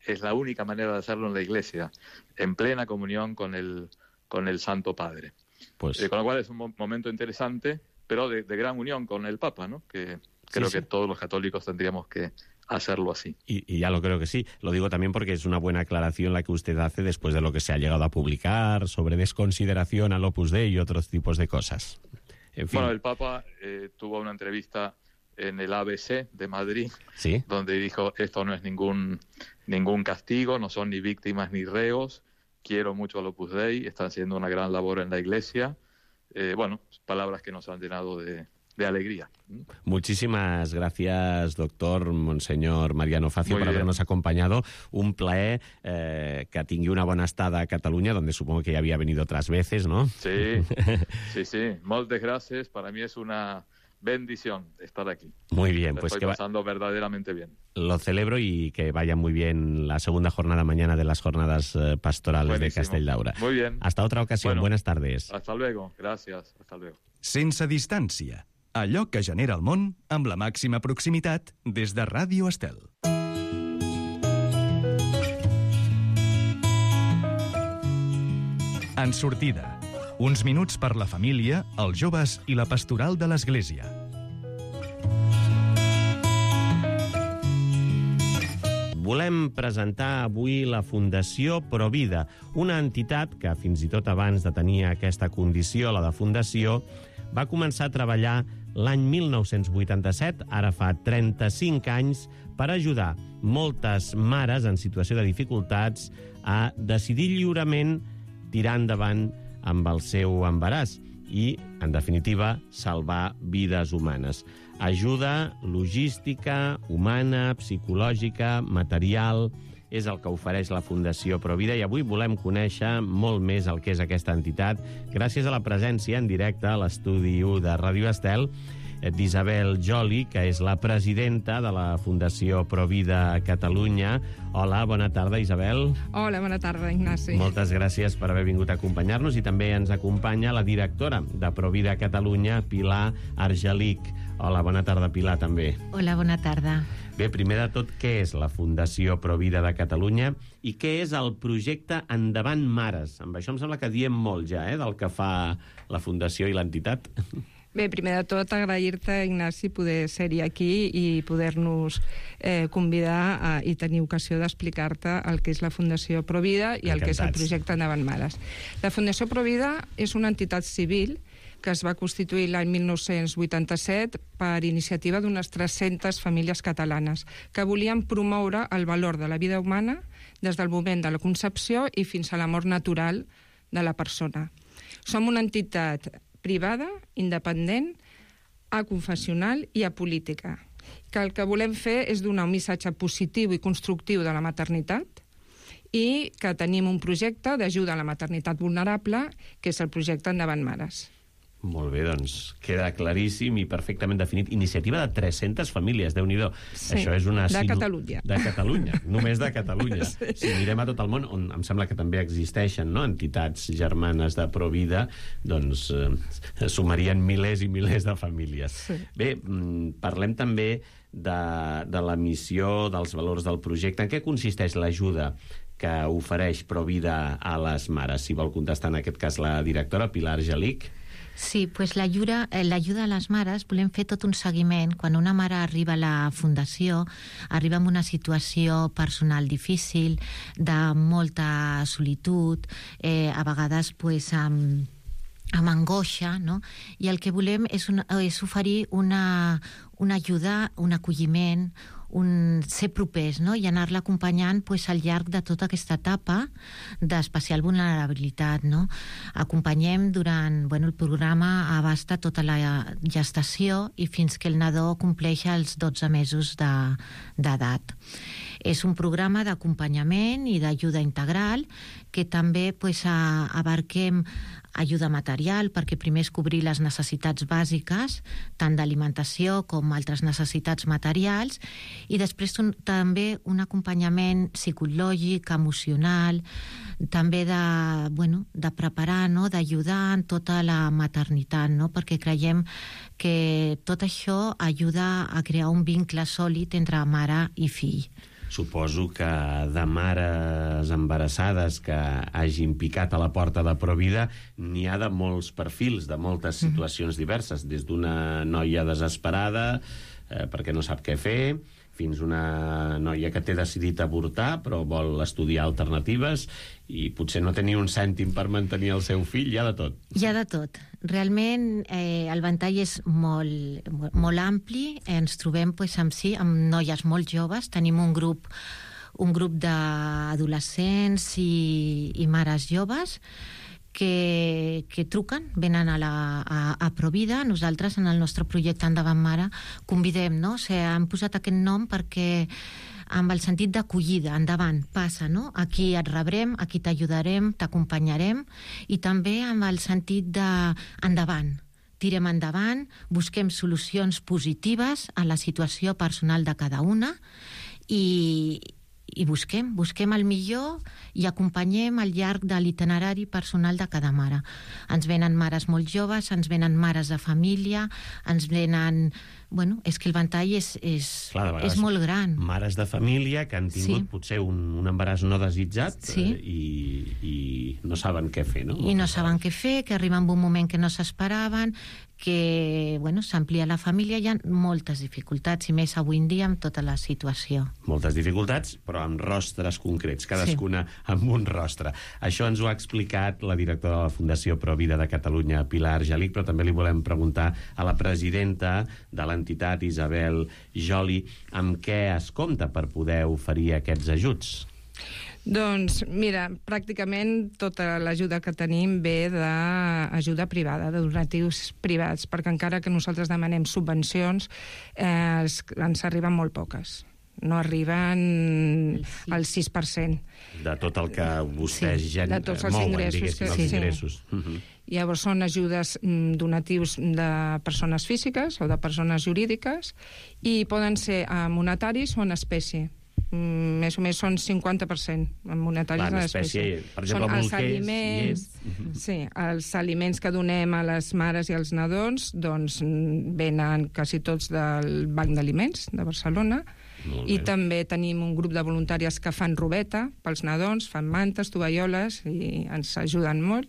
es la única manera de hacerlo en la Iglesia, en plena comunión con el Santo Padre. Pues... con lo cual es un momento interesante, pero de gran unión con el Papa, ¿no? Que creo que todos los católicos tendríamos que hacerlo así. Y ya lo creo que sí. Lo digo también porque es una buena aclaración la que usted hace después de lo que se ha llegado a publicar sobre desconsideración al Opus Dei y otros tipos de cosas. En fin. Bueno, el Papa tuvo una entrevista en el ABC de Madrid, donde dijo, esto no es ningún castigo, no son ni víctimas ni reos, quiero mucho al Opus Dei, están haciendo una gran labor en la Iglesia. Bueno, palabras que nos han llenado de alegría. Muchísimas gracias, doctor Monsenyor Mariano Facio, por habernos acompañado. Un plaer que tingui una bona estada a Cataluña, donde supongo que ya había venido otras veces, ¿no? Sí. Moltes gracias. Para mí es una bendición estar aquí. Muy bien. Pues estoy pasando verdaderamente bien. Lo celebro y que vaya muy bien la segunda jornada mañana de las jornadas pastorales de Castelldaura. Muy bien. Hasta otra ocasión. Buenas tardes. Hasta luego. Gracias. Hasta luego. Sense distància. Allò que genera el món amb la màxima proximitat des de Ràdio Estel. En sortida. Uns minuts per la família, els joves i la pastoral de l'Església. Volem presentar avui la Fundació Provida, una entitat que fins i tot abans de tenir aquesta condició, la de fundació, va començar a treballar l'any 1987, ara fa 35 anys, per ajudar moltes mares en situació de dificultats a decidir lliurement tirar endavant amb el seu embaràs i, en definitiva, salvar vides humanes. Ajuda logística, humana, psicològica, material, és el que ofereix la Fundació Provida, i avui volem conèixer molt més el que és aquesta entitat gràcies a la presència en directe a l'estudi 1 de Ràdio Estel d'Isabel Joli, que és la presidenta de la Fundació Provida Catalunya. Hola, bona tarda, Isabel. Hola, bona tarda, Ignasi. Moltes gràcies per haver vingut a acompanyar-nos, i també ens acompanya la directora de Provida Catalunya, Pilar Argelic. Hola, bona tarda, Pilar, també. Hola, bona tarda. Bé, primer de tot, què és la Fundació Provida de Catalunya i què és el projecte Endavant Mares? Amb això em sembla que diem molt ja, del que fa la Fundació i l'entitat. Bé, primer de tot, agrair-te, Ignasi, poder ser-hi aquí i poder-nos convidar i tenir ocasió d'explicar-te el que és la Fundació Provida i el que és el projecte Endavant Mares. La Fundació Provida és una entitat civil que es va constituir l'any 1987 per iniciativa d'unes 300 famílies catalanes que volien promoure el valor de la vida humana des del moment de la concepció i fins a la mort natural de la persona. Som una entitat privada, independent, aconfessional i apolítica, que el que volem fer és donar un missatge positiu i constructiu de la maternitat i que tenim un projecte d'ajuda a la maternitat vulnerable, que és el projecte Endavant Mares. Molt bé, doncs queda claríssim i perfectament definit. Iniciativa de 300 famílies, Déu-n'hi-do. Sí, això és una... de Catalunya. De Catalunya, només de Catalunya. Sí. Si mirem a tot el món, on em sembla que també existeixen, no?, entitats germanes de Provida, doncs sumarien milers i milers de famílies. Sí. Bé, parlem també de la missió, dels valors del projecte. En què consisteix l'ajuda que ofereix Provida a les mares? Si vol contestar en aquest cas la directora, Pilar Gelic. Sí, pues l'ajuda a les mares, volem fer tot un seguiment. Quan una mare arriba a la Fundació, arriba en una situació personal difícil, de molta solitud, a vegades pues, amb angoixa, no? I el que volem és oferir una ajuda, un acolliment, ser propers, no? I anar-la acompanyant pues, al llarg de tota aquesta etapa d'especial vulnerabilitat, no? Acompanyem durant... el programa abasta tota la gestació i fins que el nadó compleix els 12 mesos d'edat. És un programa d'acompanyament i d'ajuda integral que també pues, abarquem ajuda material, perquè primer és cobrir les necessitats bàsiques, tant d'alimentació com altres necessitats materials, i després també un acompanyament psicològic, emocional, també de preparar, no?, d'ajudar en tota la maternitat, no?, perquè creiem que tot això ajuda a crear un vincle sòlid entre mare i fill. Suposo que de mares embarassades que hagin picat a la porta de Provida n'hi ha de molts perfils, de moltes situacions diverses, des d'una noia desesperada perquè no sap què fer, fins una noia que té decidit avortar però vol estudiar alternatives i potser no tenir un cèntim per mantenir el seu fill. Hi ha de tot. Hi ha de tot. Realment el ventall és molt ampli. Ens trobem amb noies molt joves. Tenim un grup d'adolescents i mares joves que truquen, venen a Provida. Nosaltres, en el nostre projecte Endavant Mare, convidem, no? Han posat aquest nom perquè amb el sentit d'acollida, endavant, passa, no? Aquí et rebrem, aquí t'ajudarem, t'acompanyarem, i també amb el sentit d'endavant. Tirem endavant, busquem solucions positives a la situació personal de cada una i busquem el millor i acompanyem al llarg de l'itinerari personal de cada mare. Ens venen mares molt joves, ens venen mares de família, ens venen... és que el ventall és molt gran. Mares de família que han tingut potser un embaràs no desitjat i no saben què fer, no? I no saben què fer, que arriben en un moment que no s'esperaven, que s'amplia la família. Hi ha moltes dificultats, i més avui en dia amb tota la situació. Moltes dificultats, però amb rostres concrets, cadascuna amb un rostre. Això ens ho ha explicat la directora de la Fundació Provida de Catalunya, Pilar Gelic, però també li volem preguntar a la presidenta de l'entitat, Isabel Joli, amb què es compta per poder oferir aquests ajuts? Doncs, mira, pràcticament tota l'ajuda que tenim ve d'ajuda privada, de donatius privats, perquè encara que nosaltres demanem subvencions, ens arriben molt poques. No arriben al 6%. De tot el que vostès de tots els ingressos. els ingressos. Llavors són ajudes, donatius de persones físiques o de persones jurídiques, i poden ser monetaris o en espècie. Més o menys són 50% en monetaris en espècie. Per exemple, els aliments, els aliments que donem a les mares i als nadons, doncs venen quasi tots del Banc d'Aliments de Barcelona, i també tenim un grup de voluntàries que fan robeta pels nadons, fan mantes, tovalloles, i ens ajuden molt.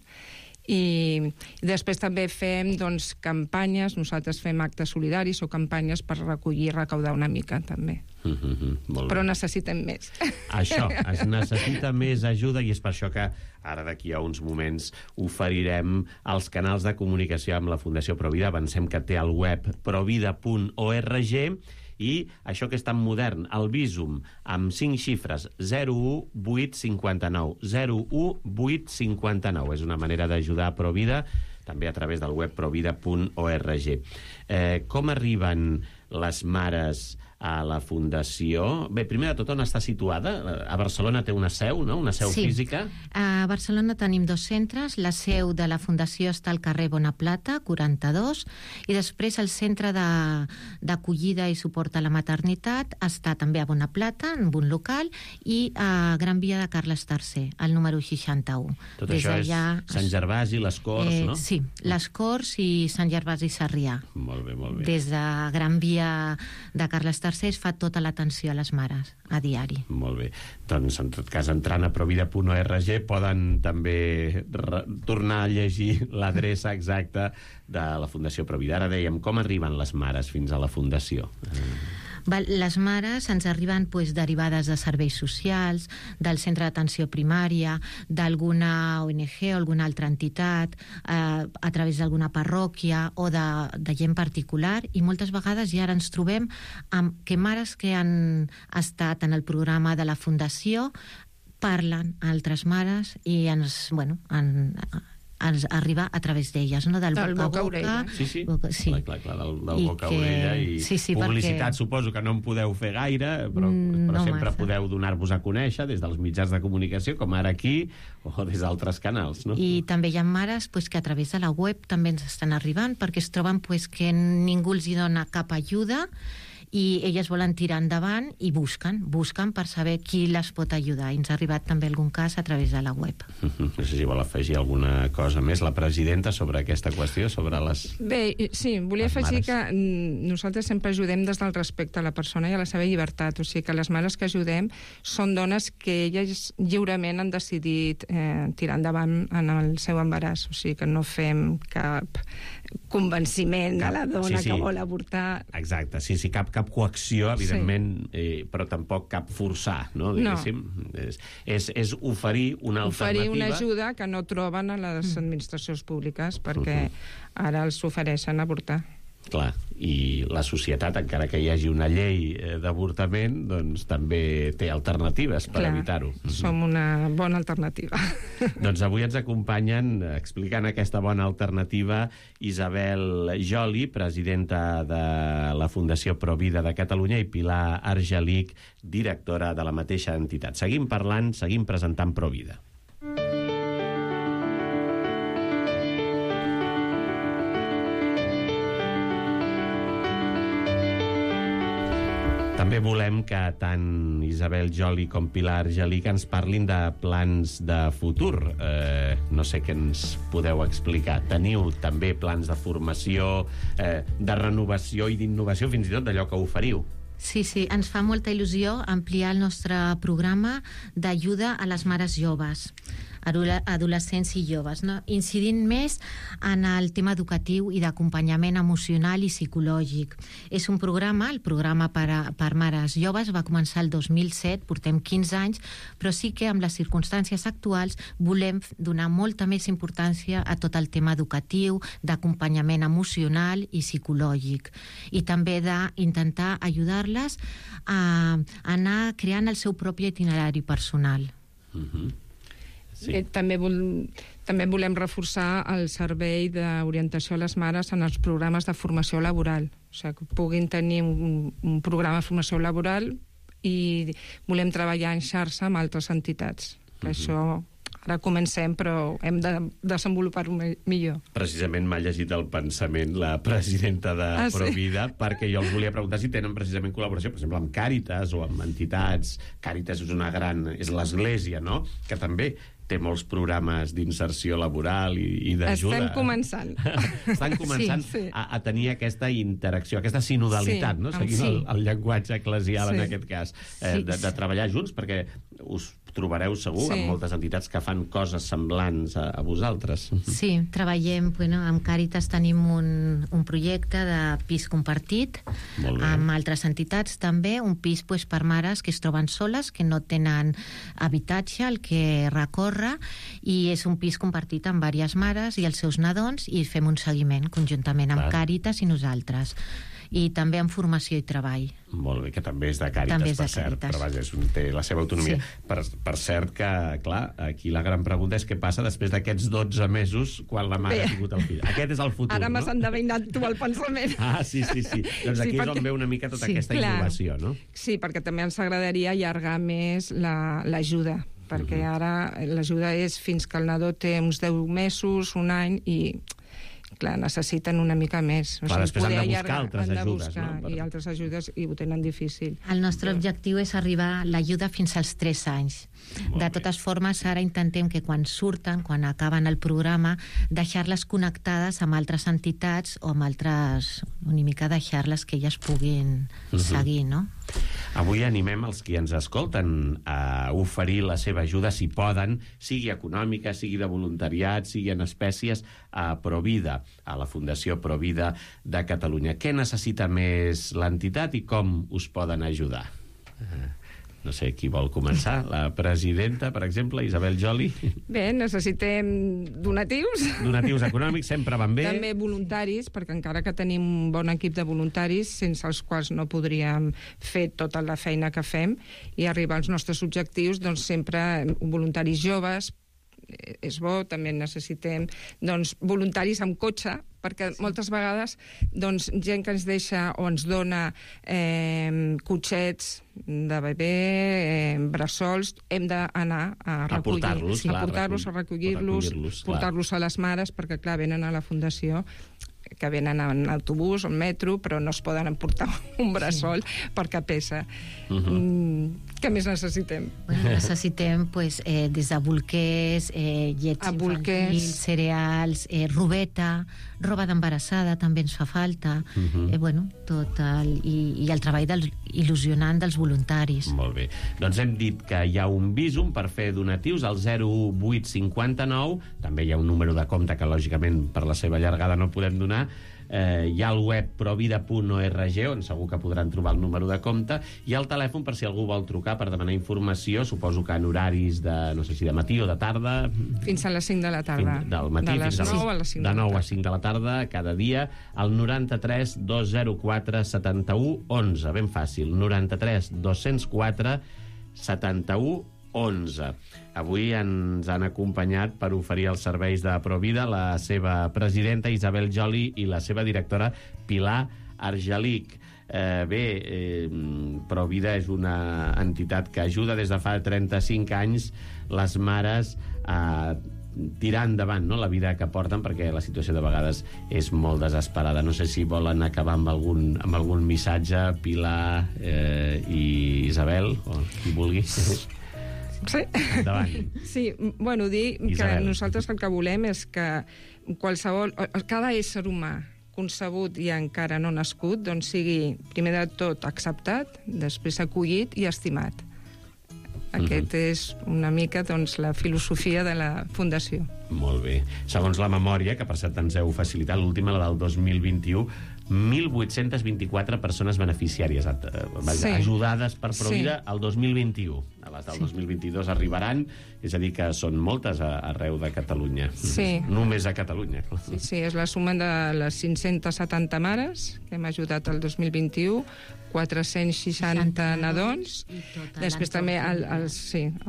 I després també fem campanyes, nosaltres fem actes solidaris o campanyes per recollir i recaudar una mica, també. Però necessitem més. Això, es necessita més ajuda i és per això que ara d'aquí a uns moments oferirem els canals de comunicació amb la Fundació Provida. Avancem que té el web provida.org i això que és tan modern, el Bizum, amb 5 xifres, 01859. 01859. És una manera d'ajudar a Provida, també a través del web provida.org. Com arriben les mares a la Fundació? Bé, primer de tot, on està situada? A Barcelona té una seu, no? Una seu física? A Barcelona tenim 2 centres. La seu de la Fundació està al carrer Bonaplata, 42, i després el centre d'acollida i suport a la maternitat està també a Bonaplata, en un local, i a Gran Via de Carles III, al número 61. Tot això és Sant Gervasi, les Corts, no? Sí, les Corts i Sant Gervasi i Sarrià. Molt bé, molt bé. Des de Gran Via de Carles III es fa tota l'atenció a les mares a diari. Molt bé. Doncs, en tot cas, entrant a provida.org poden també tornar a llegir l'adreça exacta de la Fundació Provida. Ara dèiem, com arriben les mares fins a la Fundació? Les mares ens arriben derivades de serveis socials, del centre d'atenció primària, d'alguna ONG o alguna altra entitat, a través d'alguna parròquia o de gent particular, i moltes vegades ja ens trobem amb que mares que han estat en el programa de la Fundació parlen a altres mares i ens arriba a través d'elles, no? Del boca a orella. Sí. Clar, del boca a orella i publicitat, suposo que no en podeu fer gaire, però sempre podeu donar-vos a conèixer des dels mitjans de comunicació, com ara aquí, o des d'altres canals, no? I també hi ha mares que a través de la web també ens estan arribant, perquè es troben que ningú els dona cap ajuda i elles volen tirar endavant i busquen per saber qui les pot ajudar. I ens ha arribat també algun cas a través de la web. No sé si vol afegir alguna cosa més la presidenta sobre aquesta qüestió, sobre les... Bé, sí, volia afegir que nosaltres sempre ajudem des del respecte a la persona i a la seva llibertat, o sigui que les mares que ajudem són dones que elles lliurement han decidit tirar endavant en el seu embaràs, o sigui que no fem cap convenciment a la dona que vol avortar. Exacte, sí, cap coacció, evidentment, però tampoc cap forçar, no? Diguéssim. És oferir una alternativa. Oferir una ajuda que no troben a les administracions públiques, perquè ara els ofereixen avortar. Clar, i la societat, encara que hi hagi una llei d'avortament, doncs també té alternatives per evitar-ho. Som una bona alternativa. Doncs avui ens acompanyen, explicant aquesta bona alternativa, Isabel Joli, presidenta de la Fundació Provida de Catalunya, i Pilar Argelic, directora de la mateixa entitat. Seguim parlant, seguim presentant Provida. També volem que tant Isabel Joli com Pilar Argelic ens parlin de plans de futur. No sé què ens podeu explicar. Teniu també plans de formació, de renovació i d'innovació, fins i tot d'allò que oferiu. Sí, ens fa molta il·lusió ampliar el nostre programa d'ajuda a les mares joves, adolescents i joves, no? Incidint més en el tema educatiu i d'acompanyament emocional i psicològic. És un programa, el programa per mares joves, va començar el 2007, portem 15 anys, però sí que amb les circumstàncies actuals volem donar molta més importància a tot el tema educatiu, d'acompanyament emocional i psicològic, i també d'intentar ajudar-les a anar creant el seu propi itinerari personal. Sí. També volem reforçar el servei d'orientació a les mares en els programes de formació laboral, o sigui, que puguin tenir un programa de formació laboral, i volem treballar en xarxa amb altres entitats. Això ara comencem, però hem de desenvolupar-ho millor. Precisament m'ha llegit el pensament la presidenta de Provida, perquè jo els volia preguntar si tenen precisament col·laboració, per exemple, amb Càritas o amb entitats. Càritas és l'església, no?, que també té molts programes d'inserció laboral i d'ajuda. Estem començant. Estan començant a tenir aquesta interacció, aquesta sinodalitat, no? Seguint el llenguatge eclesial en aquest cas, de treballar junts, perquè us trobareu segur amb moltes entitats que fan coses semblants a vosaltres. Sí, treballem, amb Càritas tenim un projecte de pis compartit amb altres entitats també, un pis per mares que es troben soles, que no tenen habitatge al que recórrer, i és un pis compartit amb diverses mares i els seus nadons, i fem un seguiment conjuntament amb Càritas i nosaltres. I també en formació i treball. Molt bé, que també és de Càritas, per cert, però vaja, té la seva autonomia. Per cert que, clar, aquí la gran pregunta és què passa després d'aquests 12 mesos quan la mare ha tingut el fill. Aquest és el futur, Ara m'has endevinat tu el pensament. Sí. Doncs aquí és on veu una mica tota aquesta innovació, no? Sí, perquè també ens agradaria allargar més l'ajuda, perquè ara l'ajuda és fins que el nadó té uns 10 mesos, un any, i clar, necessiten una mica més. Clar, després han de buscar altres ajudes, no? I altres ajudes, i ho tenen difícil. El nostre objectiu és arribar l'ajuda fins als 3 anys. De totes formes, ara intentem que quan surten, quan acaben el programa, deixar-les connectades amb altres entitats o amb altres... una mica deixar-les que elles puguin seguir, no? Avui animem els qui ens escolten a oferir la seva ajuda, si poden, sigui econòmica, sigui de voluntariat, sigui en espècies, a Provida, a la Fundació Provida de Catalunya. Què necessita més l'entitat i com us poden ajudar? No sé qui vol començar. La presidenta, per exemple, Isabel Joli. Bé, necessitem donatius. Donatius econòmics, sempre van bé. També voluntaris, perquè encara que tenim un bon equip de voluntaris, sense els quals no podríem fer tota la feina que fem i arribar als nostres objectius, doncs sempre voluntaris joves, és bo. També necessitem voluntaris amb cotxe, perquè moltes vegades gent que ens deixa o ens dona cotxets de bebè, bressols, hem d'anar a recollir-los, a recollir-los, portar-los a les mares, perquè clar, venen a la Fundació, que venen en autobús o en metro, però no es poden emportar un bressol perquè pesa. Què més necessitem? Necessitem des de bolquers, llets infantils, cereals, robeta, roba d'embarassada també ens fa falta, i el treball il·lusionant dels voluntaris. Molt bé. Doncs hem dit que hi ha un Bizum per fer donatius al 0859, també hi ha un número de compte que lògicament per la seva llargada no podem donar. Hi ha el web provida.org, on segur que podran trobar el número de compte, i el telèfon per si algú vol trucar per demanar informació, suposo que en horaris de, no sé si de matí o de tarda. Fins a les 5 de la tarda. Del matí fins a les 9 a les 5 de 9 a 5 de la tarda, cada dia, al 93 204 71 11. Ben fàcil, 93 204 71 11. Avui ens han acompanyat per oferir els serveis de Provida la seva presidenta Isabel Joli i la seva directora Pilar Argelich. Provida és una entitat que ajuda des de fa 35 anys les mares a tirar endavant la vida que porten, perquè la situació de vegades és molt desesperada. No sé si volen acabar amb algun missatge, Pilar i Isabel, o qui vulgui. Sí. Endavant. Sí, dir que nosaltres el que volem és que cada ésser humà concebut i encara no nascut sigui, primer de tot, acceptat, després acollit i estimat. Aquest és una mica la filosofia de la Fundació. Molt bé. Segons la memòria, que per cert ens heu facilitat, l'última, la del 2021, 1.824 persones beneficiàries ajudades per Provida al 2021. A les del 2022 arribaran, és a dir, que són moltes arreu de Catalunya. Només a Catalunya. Sí, és la suma de les 570 mares que hem ajudat el 2021, 460 nadons, després també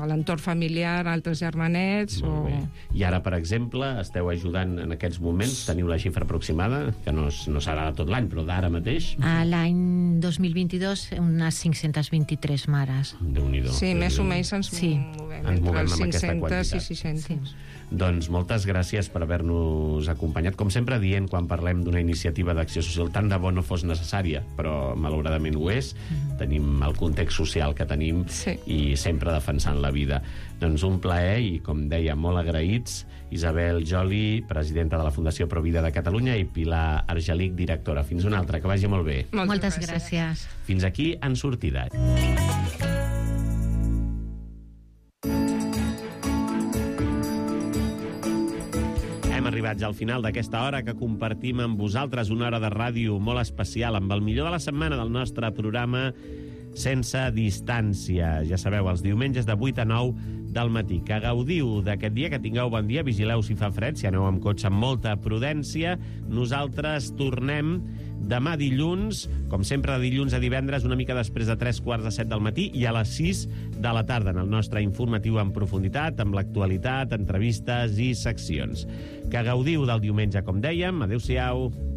l'entorn familiar, altres germanets. I ara, per exemple, esteu ajudant en aquests moments, teniu la xifra aproximada, que no serà de tot l'any, però d'ara mateix? L'any 2022, unes 523 mares. Déu-n'hi-do. Sí, més o menys ens movem entre els 500 i 600. Doncs moltes gràcies per haver-nos acompanyat. Com sempre dient, quan parlem d'una iniciativa d'acció social, tant de bo no fos necessària, però malauradament ho és. Tenim el context social que tenim i sempre defensant la vida. Doncs un plaer i, com deia, molt agraïts. Isabel Joli, presidenta de la Fundació Provida de Catalunya, i Pilar Argelich, directora. Fins una altra, que vagi molt bé. Moltes gràcies. Fins aquí En Sortida. arribat ja al final d'aquesta hora que compartim amb vosaltres, una hora de ràdio molt especial, amb el millor de la setmana del nostre programa Sense Distància. Ja sabeu, els diumenges de 8 a 9 del matí. Que gaudiu d'aquest dia, que tingueu bon dia, vigileu si fa fred, si aneu amb cotxe amb molta prudència. Nosaltres tornem demà dilluns, com sempre de dilluns a divendres, una mica després de 3:15 del matí i a les 6 de la tarda, en el nostre informatiu en profunditat, amb l'actualitat, entrevistes i seccions. Que gaudiu del diumenge, com dèiem. Adéu-siau.